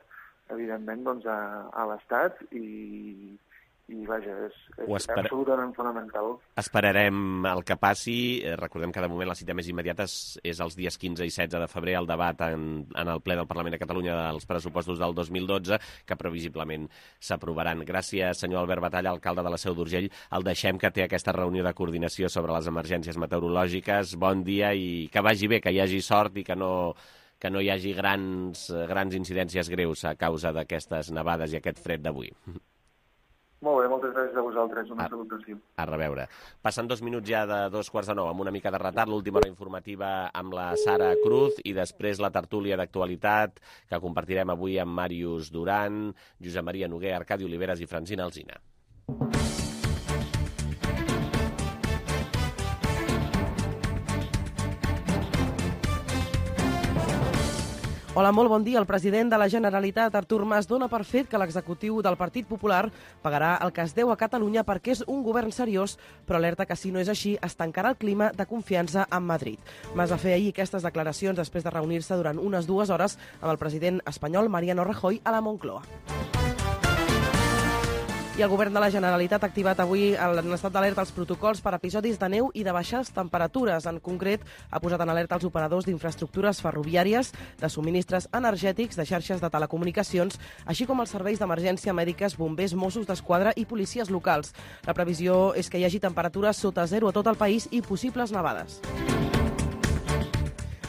evidentment, doncs, a l'Estat i vaja, és absolutament fonamental. Esperarem el que passi. Recordem que de moment la cita més immediata és els dies 15 i 16 de febrer, el debat en el ple del Parlament de Catalunya dels pressupostos del 2012, que previsiblement s'aprovaran. Gràcies, senyor Albert Batalla, alcalde de la Seu d'Urgell. El deixem, que té aquesta reunió de coordinació sobre les emergències meteorològiques. Bon dia i que vagi bé, que hi hagi sort i que no hi hagi grans incidències greus a causa d'aquestes nevades i aquest fred d'avui. Molt bé, moltes gràcies a vosaltres. Una salutació. A reveure. Passen 2 minuts ja de 8:45, amb una mica de retard, l'última hora informativa amb la Sara Cruz i després la tertúlia d'actualitat que compartirem avui amb Màrius Duran, Josep Maria Noguer, Arcadi Oliveres i Francina Alsina. Hola, molt bon dia. El president de la Generalitat, Artur Mas, dona per fet que l'executiu del Partit Popular pagarà el que es deu a Catalunya perquè és un govern seriós, però alerta que si no és així es tancarà el clima de confiança amb Madrid. Mas va fer ahir aquestes declaracions després de reunir-se durant unes 2 hores amb el president espanyol Mariano Rajoy a la Moncloa. I el govern de la Generalitat ha activat avui en estat d'alerta els protocols per episodis de neu i de baixes temperatures. En concret, ha posat en alerta els operadors d'infraestructures ferroviàries, de subministres energètics, de xarxes de telecomunicacions, així com els serveis d'emergència mèdiques, bombers, Mossos d'Esquadra i policies locals. La previsió és que hi hagi temperatures sota zero a tot el país i possibles nevades.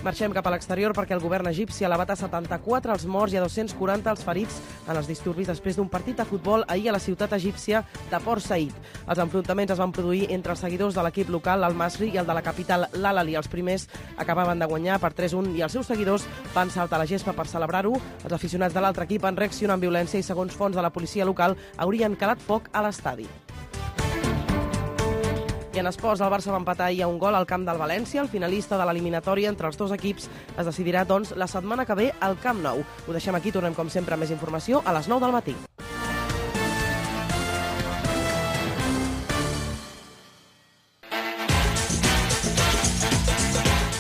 Marxem cap a l'exterior perquè el govern egipci ha elevat a 74 els morts i a 240 els ferits en els disturbis després d'un partit de futbol ahir a la ciutat egípcia de Port Said. Els enfrontaments es van produir entre els seguidors de l'equip local, l'Al-Masri, i el de la capital, l'Al-Ahly. Els primers acabaven de guanyar per 3-1 i els seus seguidors van saltar a la gespa per celebrar-ho. Els aficionats de l'altre equip van reaccionar amb violència i, segons fonts de la policia local, haurien calat foc a l'estadi. I en esports, el Barça va empatar ahir a un gol al camp del València. El finalista de l'eliminatòria entre els dos equips es decidirà, doncs, la setmana que ve al Camp Nou. Ho deixem aquí, tornem com sempre amb més informació a les 9 del matí.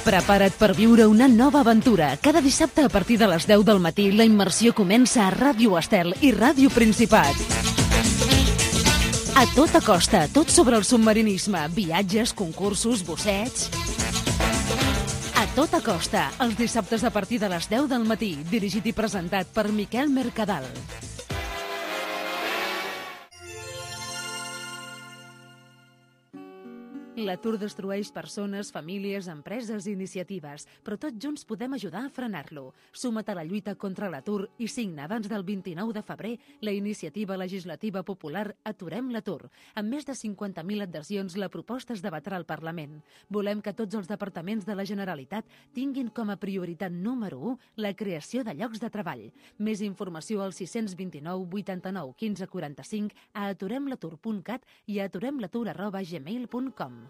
Prepara't per viure una nova aventura. Cada dissabte a partir de les 10 del matí la immersió comença a Ràdio Estel i Ràdio Principat. A tota costa, tot sobre el submarinisme, viatges, concursos, bussets... A tota costa, els dissabtes a partir de les 10 del matí, dirigit i presentat per Miquel Mercadal. L'atur destrueix persones, famílies, empreses i iniciatives, però tots junts podem ajudar a frenar-lo. Suma't a la lluita contra l'atur i signa abans del 29 de febrer la iniciativa legislativa popular Aturem l'atur. Amb més de 50.000 adhesions, la proposta es debatrà al Parlament. Volem que tots els departaments de la Generalitat tinguin com a prioritat número 1 la creació de llocs de treball. Més informació al 629 89 15 45, a aturemlatur.cat i a aturemlatur@gmail.com.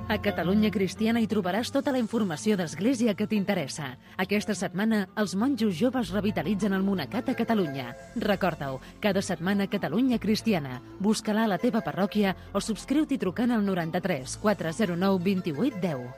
A Catalunya Cristiana hi trobaràs tota la informació d'Església que t'interessa. Aquesta setmana, els monjos joves revitalitzen el monacat a Catalunya. Recorda-ho, cada setmana Catalunya Cristiana. Busca-la a la teva parròquia o subscriu-t'hi trucant al 93 409 28 10.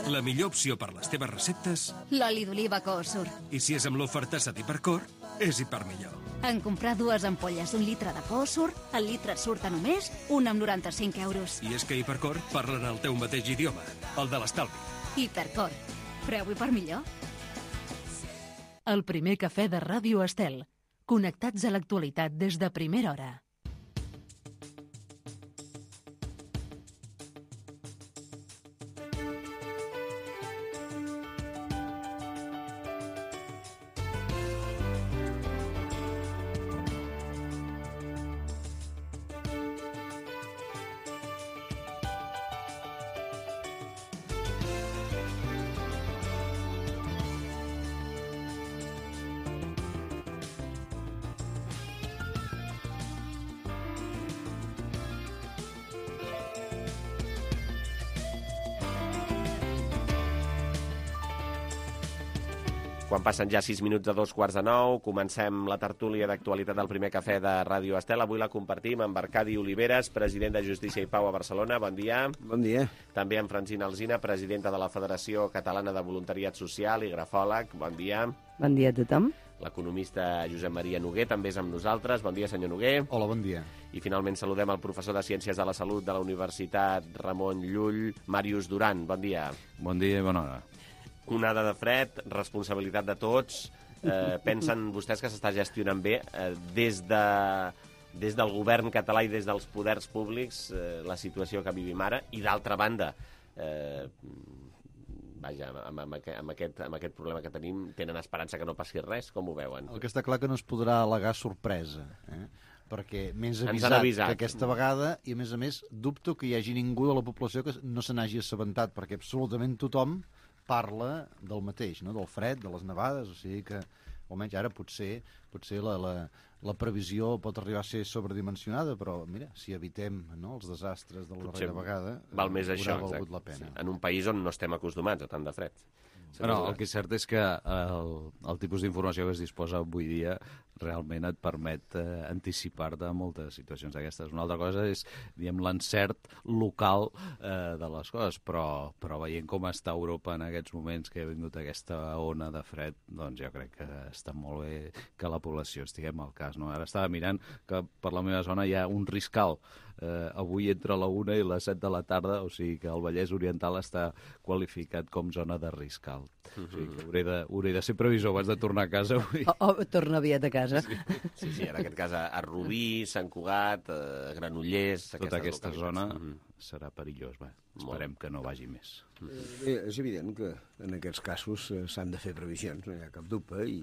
La millor opció per les teves receptes... L'oli d'oliva Coosur. I si és amb l'oferta Hipercor, és Hipermillor. En comprar 2 ampolles d'1 litre de Coosur, el litre et surt a només 1,95 €. I és que Hipercor parlen el teu mateix idioma, el de l'estalvi. Hipercor. Preu Hipermillor. El primer cafè de Ràdio Estel. Connectats a l'actualitat des de primera hora. Quan passen ja 6 minuts de 2:45, comencem la tertúlia d'actualitat del primer cafè de Ràdio Estel. Avui la compartim amb Arcadi Oliveres, president de Justícia i Pau a Barcelona. Bon dia. Bon dia. També amb Francina Alsina, presidenta de la Federació Catalana de Voluntariat Social i grafòleg. Bon dia. Bon dia a tothom. L'economista Josep Maria Noguer també és amb nosaltres. Bon dia, senyor Noguer. Hola, bon dia. I finalment saludem el professor de Ciències de la Salut de la Universitat Ramon Llull, Màrius Duran. Bon dia. Bon dia i bona hora. Onada de fred, responsabilitat de tots. Pensen vostès que s'està gestionant bé des del govern català i des dels poders públics la situació que vivim ara? I d'altra banda, vaja, amb aquest problema que tenim, tenen esperança que no passi res? Com ho veuen? El que està clar que no es podrà al·legar sorpresa, perquè m'he avisat que aquesta vegada, i a més dubto que hi hagi ningú de la població que no se n'hagi assabentat, perquè absolutament tothom parla del mateix, no? Del fred, de les nevades, o sigui que, almenys ara potser la previsió pot arribar a ser sobredimensionada, però mira, si evitem els desastres de la darrera vegada, val més això, haurà valgut la pena. Sí. En un país on no estem acostumats a tant de fred. Bueno, el que és cert és que el tipus d'informació que es disposa avui dia realment et permet anticipar-te a moltes situacions d'aquestes. Una altra cosa és, diguem, l'encert local de les coses, però veient com està Europa en aquests moments que ha vingut aquesta ona de fred, doncs jo crec que està molt bé que la població estiguem al cas. No? Ara estava mirant que per la meva zona hi ha un riscal avui entre la 1 i les 7 de la tarda, o sigui que el Vallès Oriental està qualificat com zona de riscal. O sigui que hauré de ser previsor abans de tornar a casa avui. O torna aviat a casa. Sí, en aquest cas a Rubí, Sant Cugat, Granollers... Tota aquesta zona serà perillós. Esperem que no vagi més. És evident que en aquests casos s'han de fer previsions, no hi ha cap dubte, i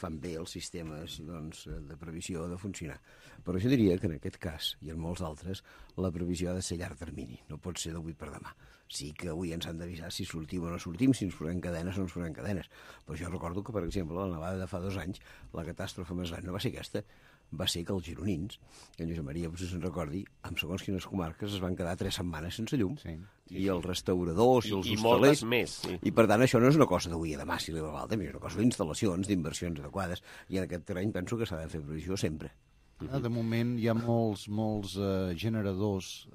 fan bé els sistemes de previsió de funcionar. Però jo diria que en aquest cas, i en molts altres, la previsió ha de ser a llarg termini, no pot ser d'avui per demà. Sí que avui ens han d'avisar si sortim o no sortim, si ens posem cadenes o no ens posem cadenes. Però jo recordo que, per exemple, la nevada de fa 2 anys, la catàstrofe més gran no va ser aquesta, va ser que els gironins, que en Josep Maria potser se'n recordi, amb segons quines comarques es van quedar 3 setmanes sense llum. I els restauradors i els hostalers... I moltes més. I per tant això no és una cosa d'avui a demà, si li va l'altre, és una cosa d'instal·lacions, d'inversions adequades, i en aquest terreny penso que s'ha de fer previsió sempre. De moment hi ha molts generadors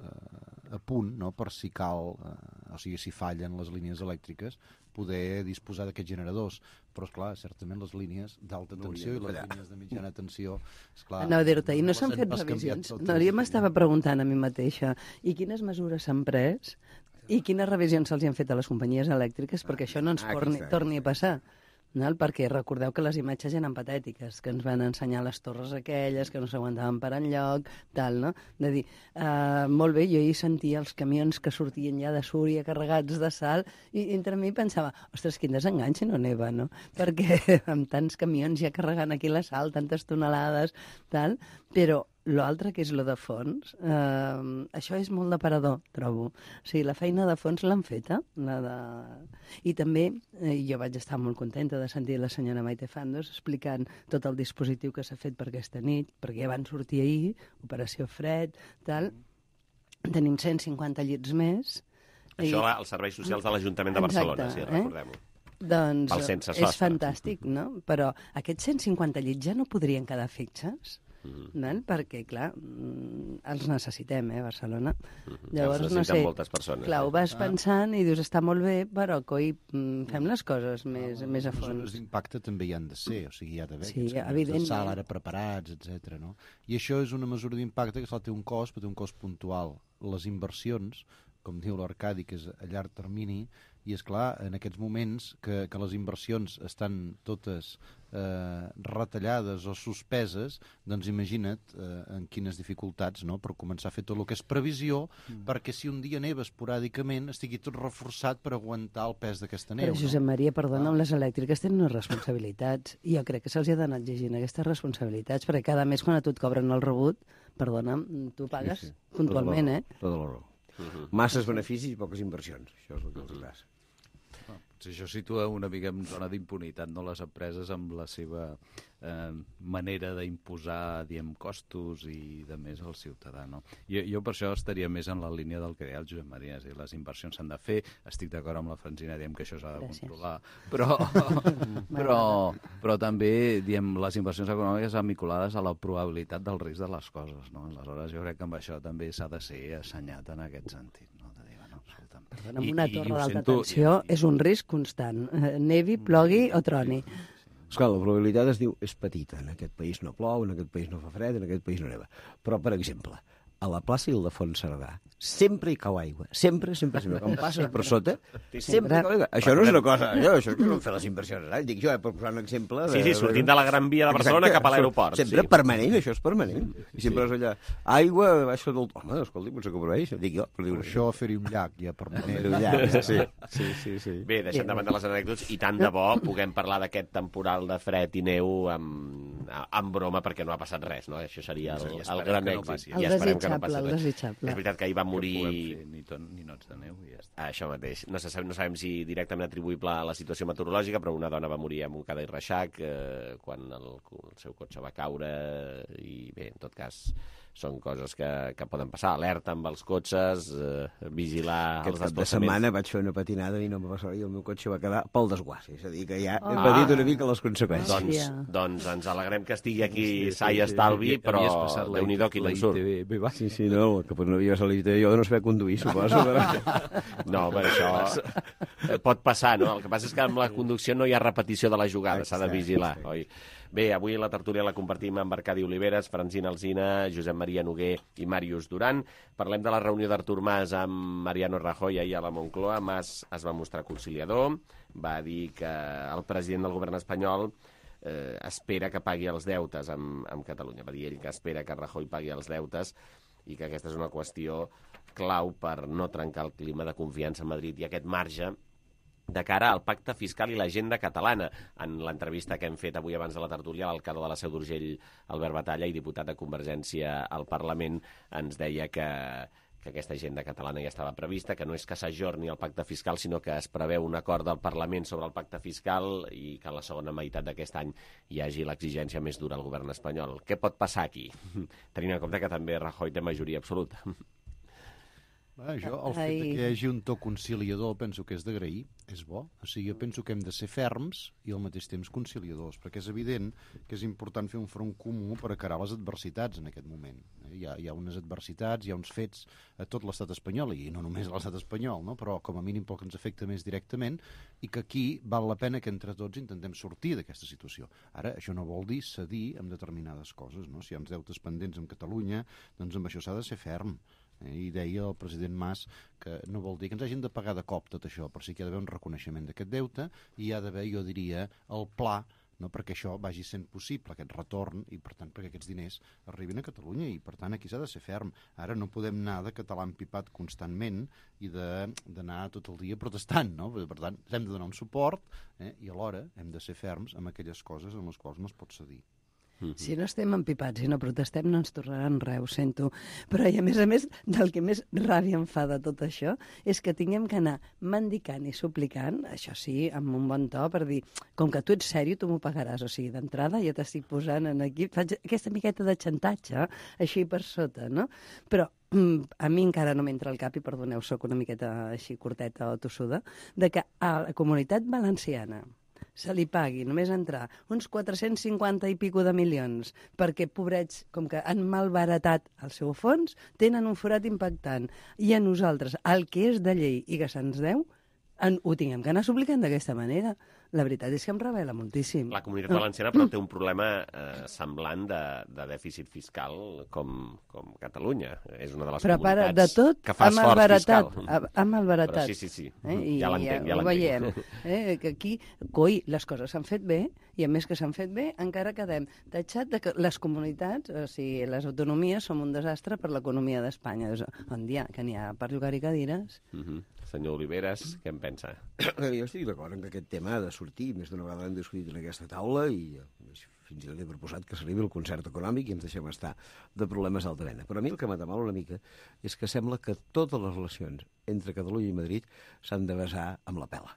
a punt, no? Per si cal, o sigui, si fallen les línies elèctriques, poder disposar d'aquests generadors. Però, esclar, certament les línies d'alta tensió i les línies de mitjana tensió... Anava a dir-te, i no s'han fet revisions? No, jo m'estava preguntant a mi mateixa, i quines mesures s'han pres i quines revisions se'ls han fet a les companyies elèctriques perquè això no ens torni a passar? perquè recordeu que les imatges eren patètiques, que ens van ensenyar les torres aquelles, que no s'aguantaven per enlloc, tal, no? De dir, molt bé, jo hi sentia els camions que sortien ja de Súria carregats de sal, i entre mi pensava, ostres, quin desengany si no neva, no? Perquè amb tants camions ja carregant aquí la sal, tantes tonelades, tal, però l'altre, que és lo de fons, això és molt d'aparador, trobo. O sigui, la feina de fons l'han feta. I també jo vaig estar molt contenta de sentir la senyora Maite Fandos explicant tot el dispositiu que s'ha fet per aquesta nit, perquè ja van sortir ahir, Operació Fred, tal. Tenim 150 llits més. Això als serveis socials de l'Ajuntament de Barcelona, si recordem-ho. Doncs és fantàstic, no? Però aquests 150 llits ja no podrien quedar fixes? Perquè, clar, els necessitem, Barcelona. Llavors, no sé, moltes persones. Clar, ho vas pensant i dius, està molt bé, però coi, fem les coses més a fons. Les mesures d'impacte també hi han de ser, o sigui, hi ha d'haver aquests de sal ara preparats, etc. No? I això és una mesura d'impacte que té un cost, però té un cost puntual. Les inversions, com diu l'Arcadi, que és a llarg termini, i és clar, en aquests moments que les inversions estan totes retallades o suspeses, doncs imagina't en quines dificultats, no?, per començar a fer tot el que és previsió, perquè si un dia neva esporàdicament estigui tot reforçat per aguantar el pes d'aquesta neu. Però, Josep Maria, perdona, les elèctriques tenen unes responsabilitats, i jo crec que se'ls ha d'anar exigint aquestes responsabilitats, perquè cada mes quan a tu et cobren el rebut, perdona, tu pagues puntualment, Tota la raó. Masses beneficis i poques inversions, això és el que els passa. Això situa una mica en zona d'impunitat, no?, les empreses amb la seva manera d'imposar, diem, costos i de més al ciutadà, no? Jo per això estaria més en la línia del que deia el Josep Maria, és a dir, les inversions s'han de fer, estic d'acord amb la Francina, diem que això s'ha de controlar, però també, diem, les inversions econòmiques vinculades a la probabilitat del risc de les coses, no? Aleshores jo crec que amb això també s'ha de ser assenyat en aquest sentit, no? Perdona, amb una torre d'alta tensió és un risc constant, nevi, plogui o troni. Esclar, la probabilitat és petita. En aquest país no plou, en aquest país no fa fred, en aquest país no neva. Però, per exemple, a la plaça Ildefons Cerdà sempre hi cau aigua. Sempre. Quan passes per sota, sempre hi cau aigua. Això no és una cosa... Això és que no fer les inversions. Dic jo, per posar un exemple... Sí, sortint de la Gran Via de Barcelona cap a l'aeroport. Sempre permanent, això és permanent. I sempre és allà... Aigua baixa del... Home, escolti, potser que proveix. Dic jo. Per això fer-hi un llac, ja permanent. Un llac, sí. Bé, deixem de banda les anècdotes i tant de bo puguem parlar d'aquest temporal de fred i neu amb broma, perquè no ha passat res, no? Això seria el gran èxit. El desitjable. És veritat que ahir va morir... Ni nots de neu i ja està. Això mateix. No sabem si directament atribuïble a la situació meteorològica, però una dona va morir a Montcada i Reixac quan el seu cotxe va caure i bé, en tot cas són coses que poden passar. Alerta amb els cotxes, vigilar els desplaçaments. Aquest cap de setmana vaig fer una patinada i no em va passar i el meu cotxe va quedar pel desguàs. És a dir, que ja he patit una mica les conseqüències. Doncs ens alegrem que estigui aquí sa i estalvi, però Déu-n'hi-do quin en surt. Sí, no, que no havia passat jo de no saber conduir, suposo. No, però això pot passar, no? El que passa és que amb la conducció no hi ha repetició de la jugada, s'ha de vigilar, oi? Bé, avui la tertúlia la compartim amb Arcadi Oliveres, Francina Alsina, Josep Maria Noguer i Màrius Duran. Parlem de la reunió d'Artur Mas amb Mariano Rajoy ahir a la Moncloa. Mas es va mostrar conciliador, va dir que el president del govern espanyol espera que pagui els deutes amb Catalunya. Va dir ell que espera que Rajoy pagui els deutes i que aquesta és una qüestió clau per no trencar el clima de confiança a Madrid i aquest marge de cara al pacte fiscal i l'agenda catalana. En l'entrevista que hem fet avui abans de la tertúlia, l'alcalde de la Seu d'Urgell, Albert Batalla, i diputat de Convergència al Parlament, ens deia que aquesta agenda catalana ja estava prevista, que no és que s'ajorni el pacte fiscal, sinó que es preveu un acord del Parlament sobre el pacte fiscal i que a la segona meitat d'aquest any hi hagi l'exigència més dura al govern espanyol. Què pot passar aquí? Tenint en compte que també Rajoy té majoria absoluta. Jo, el fet que hi hagi un to conciliador penso que és d'agrair, és bo. O sigui, jo penso que hem de ser ferms i al mateix temps conciliadors, perquè és evident que és important fer un front comú per encarar les adversitats en aquest moment. Hi ha unes adversitats, hi ha uns fets a tot l'estat espanyol, i no només a l'estat espanyol, no? Però com a mínim pel que ens afecta més directament, i que aquí val la pena que entre tots intentem sortir d'aquesta situació. Ara, això no vol dir cedir amb determinades coses, no? Si hi ha uns deutes pendents amb Catalunya, doncs amb això s'ha de ser ferm. I deia el president Mas que no vol dir que ens hagin de pagar de cop tot això, però sí que hi ha d'haver un reconeixement d'aquest deute i hi ha d'haver, jo diria, el pla, no, perquè això vagi sent possible, aquest retorn, i per tant perquè aquests diners arribin a Catalunya, i per tant aquí s'ha de ser ferm. Ara no podem anar de català empipat constantment i d'anar tot el dia protestant, no? Per tant, hem de donar un suport i alhora hem de ser ferms amb aquelles coses en les quals no es pot cedir. Si no estem empipats i no protestem, no ens tornaran res, ho sento. Però, i a més, del que més ràbia em fa de tot això és que tinguem que anar mendicant i suplicant, això sí, amb un bon to, per dir, com que tu ets sèrio, tu m'ho pagaràs. O sigui, d'entrada ja t'estic posant en aquí, faig aquesta miqueta de xantatge, així per sota, no? Però a mi encara no m'entra al cap, i perdoneu, soc una miqueta així curteta o tossuda, de que a la Comunitat Valenciana se li pagui només entrar uns 450 i pico de milions perquè, pobrets, com que han malbaratat el seu fons, tenen un forat impactant. I a nosaltres, el que és de llei i que se'ns deu, ho tinguem que anar suplicant d'aquesta manera. La veritat és que em revela moltíssim. La Comunitat Valenciana, però, té un problema semblant de dèficit fiscal com Catalunya. És una de les comunitats que fa esforç fiscal. Ha malbaratat. Però sí. Ja l'entenc. Ho veiem. Que aquí, coi, les coses s'han fet bé, i a més que s'han fet bé, encara quedem tatxat de que les comunitats, o sigui, les autonomies, som un desastre per l'economia d'Espanya. On dia que n'hi ha per jugar-hi cadires. Senyor Oliveres, què en pensa? Jo estic d'acord en que aquest tema ha de sortir. Més d'una vegada l'hem discutit en aquesta taula i fins i tot he proposat que s'arribi al concert econòmic i ens deixem estar de problemes d'alta mena. Però a mi el que m'atemala una mica és que sembla que totes les relacions entre Catalunya i Madrid s'han de basar amb la pela.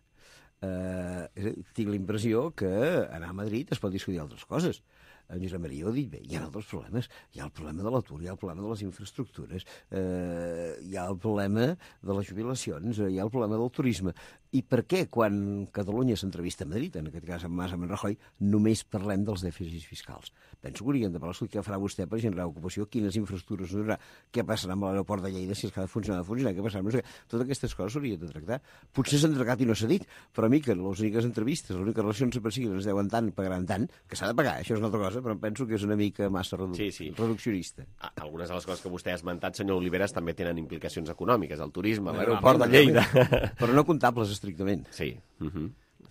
Tinc la impressió que anar a Madrid es pot discutir altres coses. En Josep Maria ho ha dit bé, hi ha altres problemes. Hi ha el problema de l'atur, hi ha el problema de les infraestructures, hi ha el problema de les jubilacions, hi ha el problema del turisme. I per què, quan Catalunya s'entrevista a Madrid, en aquest cas amb Mas, amb Rajoy, només parlem dels dèficits fiscals? Penso que hauríem de parlar què farà vostè per generar ocupació, quines infraestructures no hi haurà, què passarà amb l'aeroport de Lleida, si és que ha de funcionar, què passarà amb no sé què. Totes aquestes coses s'haurien de tractar. Potser s'han tractat i no s'ha dit, però a mi que les úniques entrevistes, les úniques relacions que ens deuen tant, pagaran tant, que s'ha de pagar, això és una altra cosa, però penso que és una mica massa reduccionista. Algunes de les coses que vostè ha esmentat, senyor Oliveres, també tenen implicacions econòmiques, el turisme, l'aeroport de Lleida. Però no comptables estrictament. Sí.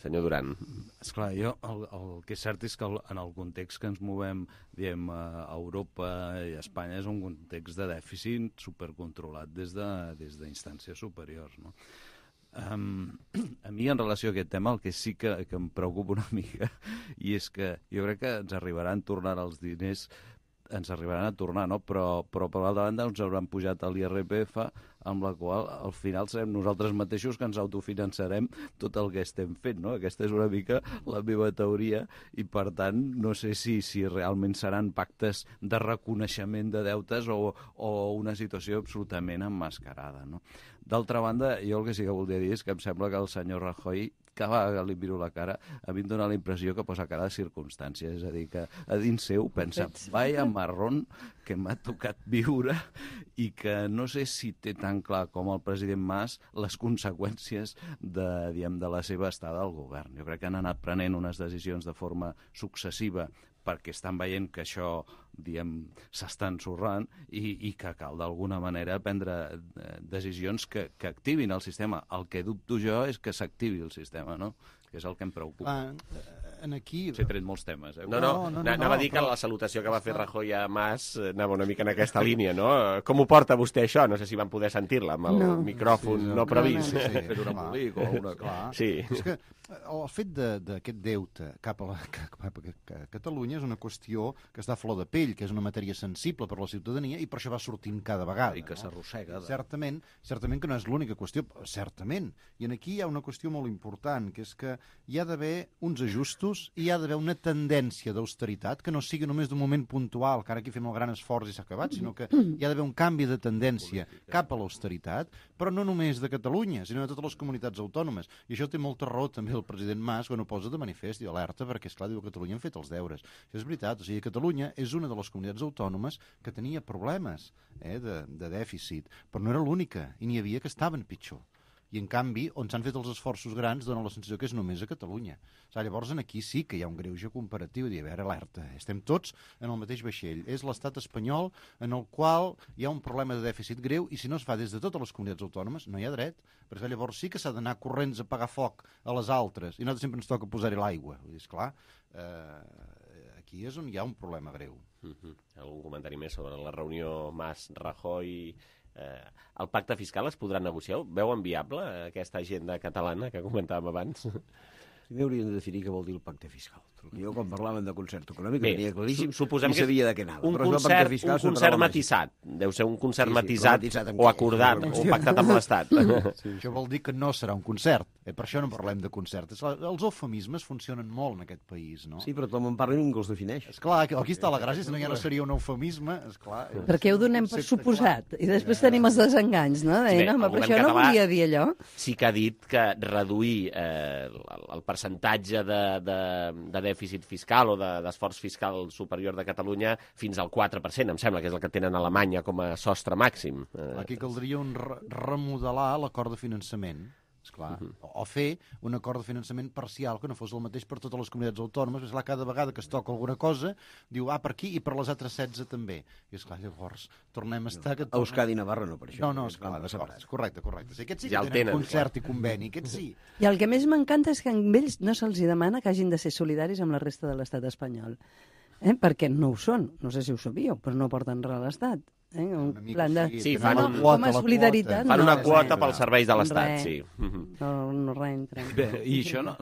Senyor Duran. Esclar, el que és cert és que en el context que ens movem, diem, a Europa i a Espanya és un context de dèficit supercontrolat des d'instàncies superiors, no? A mi, en relació a aquest tema, el que sí que em preocupa una mica i és que jo crec que ens arribaran a tornar els diners, no? Però per l'altra banda ens hauran pujat l'IRPF, amb la qual al final serem nosaltres mateixos que ens autofinançarem tot el que estem fent, no? Aquesta és una mica la meva teoria i, per tant, no sé si realment seran pactes de reconeixement de deutes o una situació absolutament emmascarada, no? D'altra banda, jo el que sí que voldria dir és que em sembla que el senyor Rajoy, cada vegada que li miro la cara, a mi em dóna la impressió que posa cara de circumstància, és a dir, que a dins seu pensa, vaya marrón que m'ha tocat viure i que no sé si té tan clar com el president Mas les conseqüències de la seva estada al govern. Jo crec que han anat prenent unes decisions de forma successiva perquè estan veient que això, diguem, s'està ensorrant i que cal d'alguna manera prendre decisions que activin el sistema. El que dubto jo és que s'activi el sistema, no? Que és el que em preocupa. Aquí... S'he tret molts temes. Anava a dir que la salutació que va fer Rajoy a Mas anava una mica en aquesta línia, no? Com ho porta vostè això? No sé si van poder sentir-la amb el micròfon no previst. Fer un embolic o una cosa. Sí. És que el fet d'aquest deute cap a Catalunya és una qüestió que està a flor de pell, que és una matèria sensible per a la ciutadania i per això va sortint cada vegada. I que s'arrossega. Certament que no és l'única qüestió, certament. I aquí hi ha una qüestió molt important, que és que hi ha d'haver uns ajustos i hi ha d'haver una tendència d'austeritat que no sigui només d'un moment puntual, que ara aquí fem el gran esforç i s'ha acabat, sinó que hi ha d'haver un canvi de tendència cap a l'austeritat, però no només de Catalunya, sinó de totes les comunitats autònomes. I això té molta raó també el president Mas quan ho posa de manifest i alerta, perquè, esclar, diu que Catalunya han fet els deures. Això és veritat, o sigui, Catalunya és una de les comunitats autònomes que tenia problemes de dèficit, però no era l'única, i n'hi havia que estaven pitjor. I, en canvi, on s'han fet els esforços grans dona la sensació que és només a Catalunya. Llavors, aquí sí que hi ha un greuge comparatiu. A veure, alerta, estem tots en el mateix vaixell. És l'estat espanyol en el qual hi ha un problema de dèficit greu i si no es fa des de totes les comunitats autònomes no hi ha dret. Perquè llavors sí que s'ha d'anar corrents a pagar foc a les altres i nosaltres sempre ens toca posar-hi l'aigua. Esclar, aquí és on hi ha un problema greu. Algun comentari més sobre la reunió Mas-Rajoy? El pacte fiscal es podrà negociar? Veuen viable aquesta agenda catalana que comentàvem abans? Primer hauríem de definir què vol dir el pacte fiscal. Jo, quan parlaven de concert econòmic, tenia claríssim suposem i sabia de què anava. Un concert matisat. Deu ser un concert matisat o acordat o pactat amb l'Estat. Això vol dir que no serà un concert. Per això no parlem de concert. Els eufemismes funcionen molt en aquest país, no? Sí, però tothom en parla i ningú els defineix. Esclar, aquí està la gràcia, si no ja no seria un eufemisme. Perquè ho donem per suposat. I després tenim els desenganys, no? Però això no volia dir allò. Sí que ha dit que reduir el percentatge de dèficit fiscal o d'esforç fiscal superior de Catalunya fins al 4%, em sembla que és el que tenen a Alemanya com a sostre màxim. Aquí caldria remodelar l'acord de finançament, esclar, o fer un acord de finançament parcial que no fos el mateix per totes les comunitats autònomes, perquè cada vegada que es toca alguna cosa diu, per aquí i per les altres 16 també. I esclar, llavors tornem a estar... Euskadi i Navarra no per això. No, esclar, correcte. Aquests sí que tenen concert i conveni, aquests sí. I el que més m'encanta és que a ells no se'ls demana que hagin de ser solidaris amb la resta de l'estat espanyol. Perquè no ho són, no sé si ho sabíeu, però no porten res a l'Estat. Un plan de... Sí, fan una quota pels serveis de l'Estat, sí. No entra. I això no...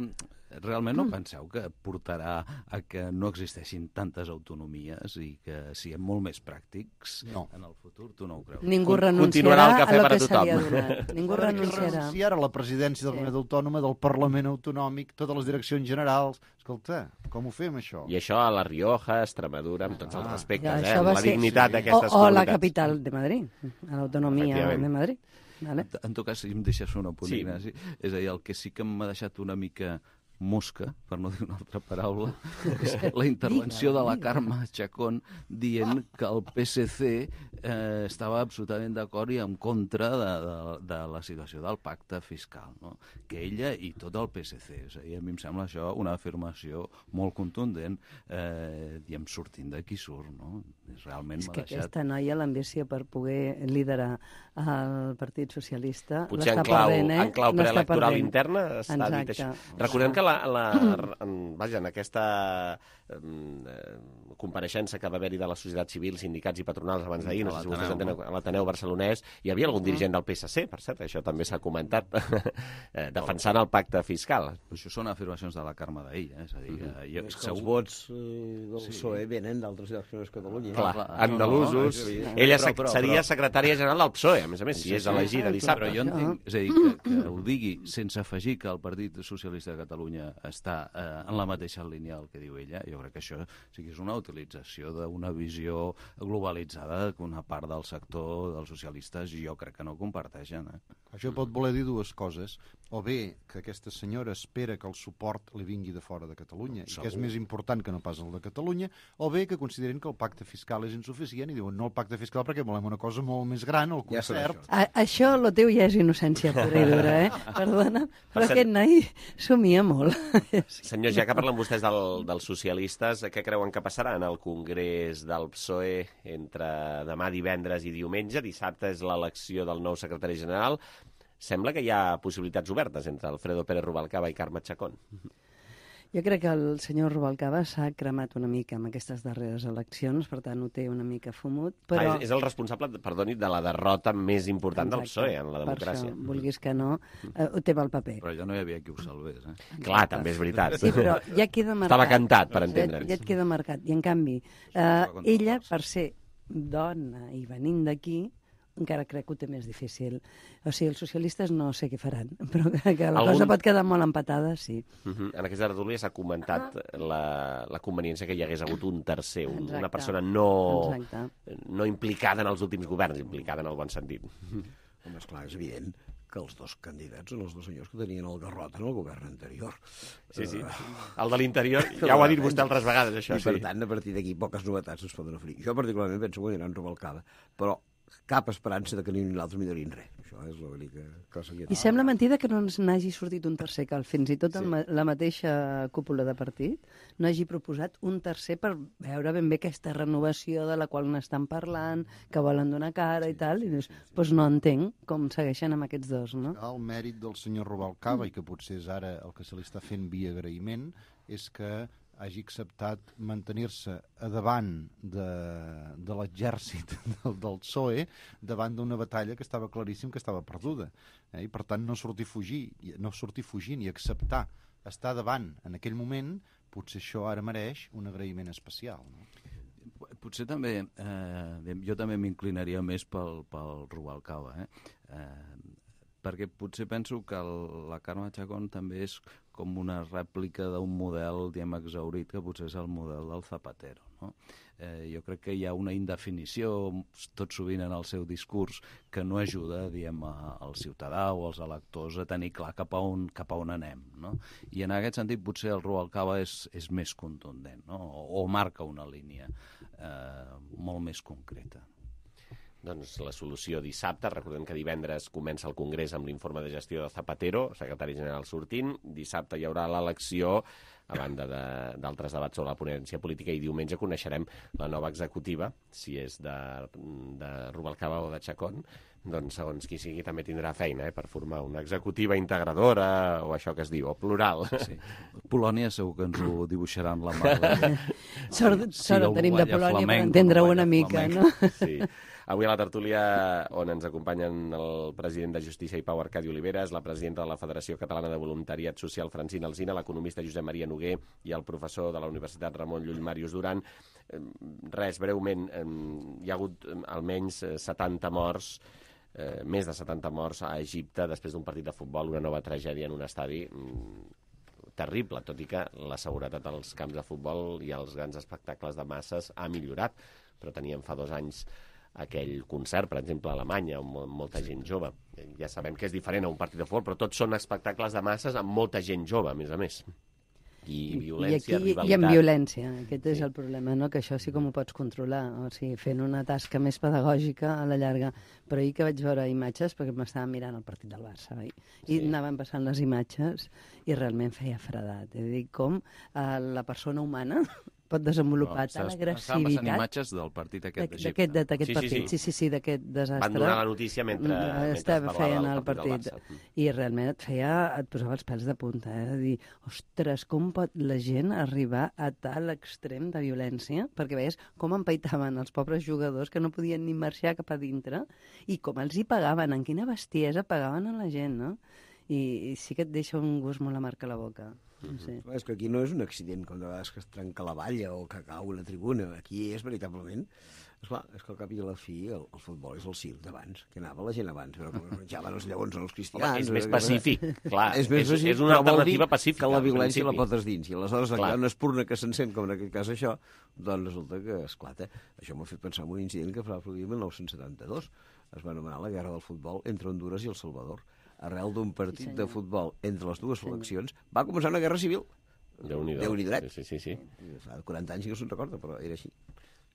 Realment no penseu que portarà a que no existeixin tantes autonomies i que siguem molt més pràctics en el futur? Tu no ho creus? Ningú renunciarà a lo que se li ha donat. Ningú renunciarà. Si ara la presidència de la comunitat autònoma, del Parlament autonòmic, totes les direccions generals... Escolta, com ho fem, això? I això a la Rioja, Extremadura, amb tots els respectes, la dignitat d'aquestes comunitats. O la capital de Madrid, a l'autonomia de Madrid. En tot cas, si em deixes un apunt, Ignasi, és a dir, el que sí que m'ha deixat una mica mosca, per no dir una altra paraula, és la intervenció de la Carme Chacón dient que el PSC estava absolutament d'acord i en contra de la situació del pacte fiscal, no? Que ella i tot el PSC. És a dir, a mi em sembla això una afirmació molt contundent, diem, sortint d'aquí surt, no? Realment és que aquesta noia, l'ambició per poder liderar el Partit Socialista, l'està perdent, en clau preelectoral interna està dit això. Recordem que en aquesta compareixença que va haver-hi de la societat civil, sindicats i patronals abans d'ahir, no sé si vostès entenen, a l'Ateneu barcelonès, hi havia algun dirigent del PSC, per cert, això també s'ha comentat, defensant el pacte fiscal. Això són afirmacions de la Carme d'ahir, és a dir... És que els vots del PSOE venen d'altres llocs que Catalunya. Clar, andalusos. Ella seria secretària general del PSOE, a més, si és elegida dissabte. Però jo entenc, és a dir, que ho digui sense afegir que el Partit Socialista de Catalunya està en la mateixa línia del que diu ella, jo crec que això sí que és una utilització d'una visió globalitzada que una part del sector dels socialistes jo crec que no comparteixen. Això pot voler dir dues coses. O bé que aquesta senyora espera que el suport li vingui de fora de Catalunya i que és més important que no pas el de Catalunya, o bé que consideren que el pacte fiscal és insuficient i diuen no el pacte fiscal perquè volem una cosa molt més gran, el concert. Això, lo teu ja és innocència pura i dura, Perdona, però aquest noi somia molt. Senyors, ja que parlen vostès dels socialistes, què creuen que passarà en el Congrés del PSOE entre demà divendres i diumenge? Dissabte és l'elecció del nou secretari general. Sembla que hi ha possibilitats obertes entre Alfredo Pérez Rubalcaba i Carme Chacón. Jo crec que el senyor Rubalcaba s'ha cremat una mica amb aquestes darreres eleccions, per tant ho té una mica fumut, però... És el responsable, perdoni, de la derrota més important del PSOE en la democràcia. Per això, vulguis que no, ho té pel paper. Però ja no hi havia qui ho salvés, Clar, també és veritat. Sí, però ja queda marcat. Estava cantat, per entendre'ns. Ja et queda marcat. I en canvi, ella, per ser dona i venint d'aquí, encara crec que ho té més difícil. O sigui, els socialistes no sé què faran, però que la cosa pot quedar molt empatada, sí. En aquesta tertúlia s'ha comentat la conveniència que hi hagués hagut un tercer, una persona no implicada en els últims governs, implicada en el bon sentit. Home, esclar, és evident que els dos candidats són els dos senyors que tenien el garrot en el govern anterior. Sí. El de l'interior, ja ho ha dit vostè altres vegades, això. I per tant, a partir d'aquí, poques novetats es poden oferir. Jo particularment penso que aniran Rubalcaba, però cap esperança de que ni l'altre millorin res. Això és l'única cosa que hi ha. I sembla mentida que no ens n'hagi sortit un tercer, que fins i tot la mateixa cúpula de partit no hagi proposat un tercer per veure ben bé aquesta renovació de la qual n'estan parlant, que volen donar cara i tal, i dius, doncs no entenc com segueixen amb aquests dos, no? El mèrit del senyor Rubalcaba, i que potser és ara el que se li està fent via agraïment, és que hagi acceptat mantenir-se a davant de l'exèrcit del PSOE davant d'una batalla que estava claríssim que estava perduda. I per tant no sortir fugint i acceptar estar davant en aquell moment, potser això ara mereix un agraïment especial. No? Potser també, jo també m'inclinaria més pel Rubalcaba, perquè potser penso que la Carme Chacón també és com una rèplica d'un model, diguem, exhaurit, que potser és el model del Zapatero, no? Jo crec que hi ha una indefinició tot sovint en el seu discurs que no ajuda, diguem, al ciutadà o als electors a tenir clar cap a on anem, no? I en aquest sentit potser el Rubalcaba és més contundent, no? O marca una línia molt més concreta. Doncs la solució dissabte, recordem que divendres comença el Congrés amb l'informe de gestió de Zapatero, secretari general sortint, dissabte hi haurà l'elecció, a banda d'altres debats sobre la ponència política, i diumenge coneixerem la nova executiva, si és de Rubalcaba o de Chacón, doncs segons qui sigui també tindrà feina per formar una executiva integradora, o això que es diu, o plural. Sí. Polònia segur que ens ho dibuixaran la mà. Sort tenim de Polònia per entendre-ho una mica, no? Sí. Avui a la tertúlia, on ens acompanyen el president de Justícia i Pau Arcadi Oliveres, la presidenta de la Federació Catalana de Voluntariat Social Francina Alsina, l'economista Josep Maria Noguer i el professor de la Universitat Ramon Llull Màrius Duran. Res, breument, hi ha hagut almenys 70 morts, més de 70 morts a Egipte després d'un partit de futbol, una nova tragèdia en un estadi terrible, tot i que la seguretat als camps de futbol i als grans espectacles de masses ha millorat, però teníem fa 2 anys aquell concert, per exemple, a Alemanya, amb molta gent jove. Ja sabem que és diferent a un partit de futbol, però tots són espectacles de masses amb molta gent jove, a més. I violència, rivalitat. I amb violència, aquest és el problema, no? Que això sí com ho pots controlar, o sigui, fent una tasca més pedagògica a la llarga. Però ahir que vaig veure imatges, perquè m'estava mirant el partit del Barça, i anaven passant les imatges i realment feia fredat. És a dir, com la persona humana pot desenvolupar tal agressivitat. Estaven passant imatges del partit aquest d'Egipte. D'aquest partit, sí, d'aquest desastre. Van donar la notícia mentre feien el partit. I realment et posava els pèls de punta, de dir, ostres, com pot la gent arribar a tal extrem de violència? Perquè veies com empaitaven els pobres jugadors que no podien ni marxar cap a dintre i com els hi pagaven, en quina bestiesa pagaven a la gent, no? I sí que et deixa un gust molt amarg a la boca. Sí. És que aquí no és un accident, com de vegades que es trenca la valla o que cau una tribuna. Aquí és veritablement... Esclar, és que al cap i a la fi el futbol és el circ d'abans, que anava la gent abans, però que menjaven els lleons els cristians... Home, és més pacífic, clar. És una alternativa pacífica. Que la violència la pots dins, i aleshores hi ha una espurna que s'encén, com en aquest cas això, doncs resulta que esclata. Això m'ha fet pensar en un incident que es va produir en 1972. Es va anomenar la Guerra del Futbol entre Honduras i El Salvador. Arrel d'un partit de futbol entre les dues seleccions, va començar una guerra civil. Déu-n'hi dret. Sí. Fa 40 anys que no se'n recorda, però era així.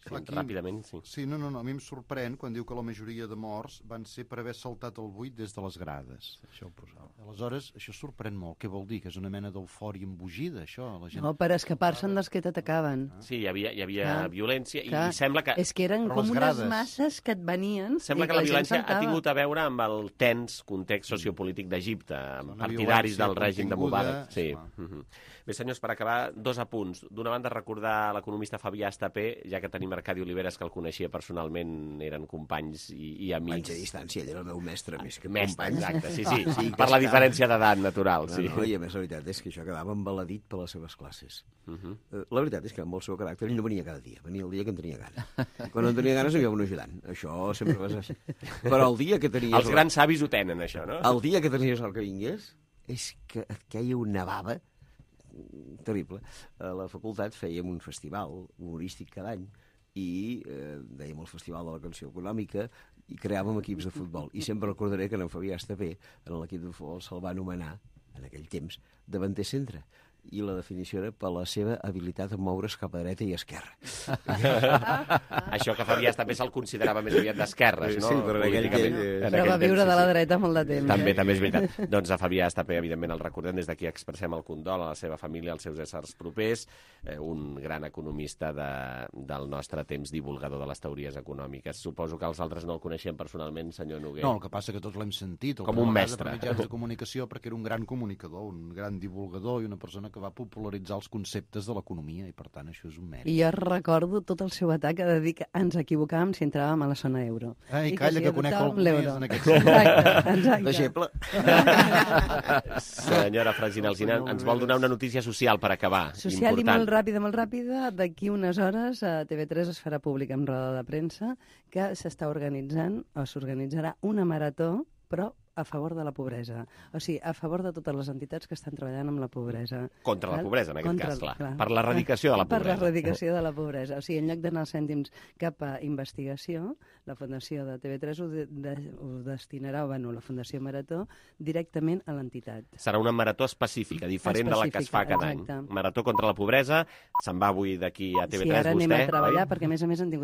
Aquí, ràpidament, sí. Sí, no, a mi em sorprèn quan diu que la majoria de morts van ser per haver saltat el buit des de les grades. Això ho posava. Aleshores, això sorprèn molt. Què vol dir? Que és una mena d'eufòria embogida, això? La gent... No, per escapar-se'n dels que t'atacaven. Sí, hi havia violència i sembla que... És que eren com unes masses que et venien... Sembla que la violència ha tingut a veure amb el tens context sociopolític d'Egipte, amb partidaris del règim de Mubarak. Sí. Bé, senyors, per acabar, 2 apunts. D'una banda, recordar l'economista Fabià Estapé, ja que tenim Arcadi Oliveres, que el coneixia personalment, eren companys i amics. Companys a distància, ell era el meu mestre, més que company. Exacte, sí. Per la diferència d'edat natural, sí. No, i a més, la veritat és que això quedava embaladit per les seves classes. La veritat és que amb el seu caràcter ell no venia cada dia, venia el dia que en tenia gana. Quan no en tenia ganes, hi havia un ajudant. Això sempre va ser així. Però el dia que tenies... Els grans savis ho tenen, això, no? El dia que tenies el que vingués, és que et queia una bava terrible. A la facultat fèiem un festival humorístic cada any i dèiem el Festival de la Canció Econòmica i creàvem equips de futbol. I sempre recordaré que en Fabià Estapé, en l'equip de futbol, se'l va anomenar, en aquell temps, davanter centre. i la definició era per la seva habilitat a moure's cap a dreta i esquerra. Això que Fabià també se'l considerava més aviat d'esquerres, no? Sí, però en aquell temps... Però va viure de la dreta molt de temps. També és veritat. Doncs a Fabià Estapé, evidentment, el recordem, des d'aquí expressem el condol a la seva família, als seus éssers propers, un gran economista del nostre temps, divulgador de les teories econòmiques. Suposo que els altres no el coneixem personalment, senyor Noguer. No, el que passa que tots l'hem sentit. Com un mestre. Per mitjans de comunicació, perquè era un gran comunicador, un gran divulgador i una persona que va popularitzar els conceptes de l'economia i, per tant, això és un mèrit. I jo recordo tot el seu atac de dir que ens equivocàvem si entràvem a la zona euro. Ai, calla, que conec algú més en aquest sentit. Exacte. Deixeble. Senyora Francina Alsina, ens vol donar una notícia social per acabar. Social important. i molt ràpida. D'aquí unes hores a TV3 es farà públic en roda de premsa que s'està organitzant, o s'organitzarà una marató, però a favor de la pobresa. O sigui, a favor de totes les entitats que estan treballant amb la pobresa. Contra la pobresa, en aquest cas, clar. Per l'eradicació de la pobresa. Per l'eradicació de la pobresa. O sigui, en lloc d'anar els cèntims cap a investigació, la Fundació de TV3 ho destinarà, la Fundació Marató, directament a l'entitat. Serà una marató específica, diferent de la que es fa cada any. Marató contra la pobresa. Se'n va avui d'aquí a TV3 vostè, oi? Sí, ara anem a treballar, perquè a més han tingut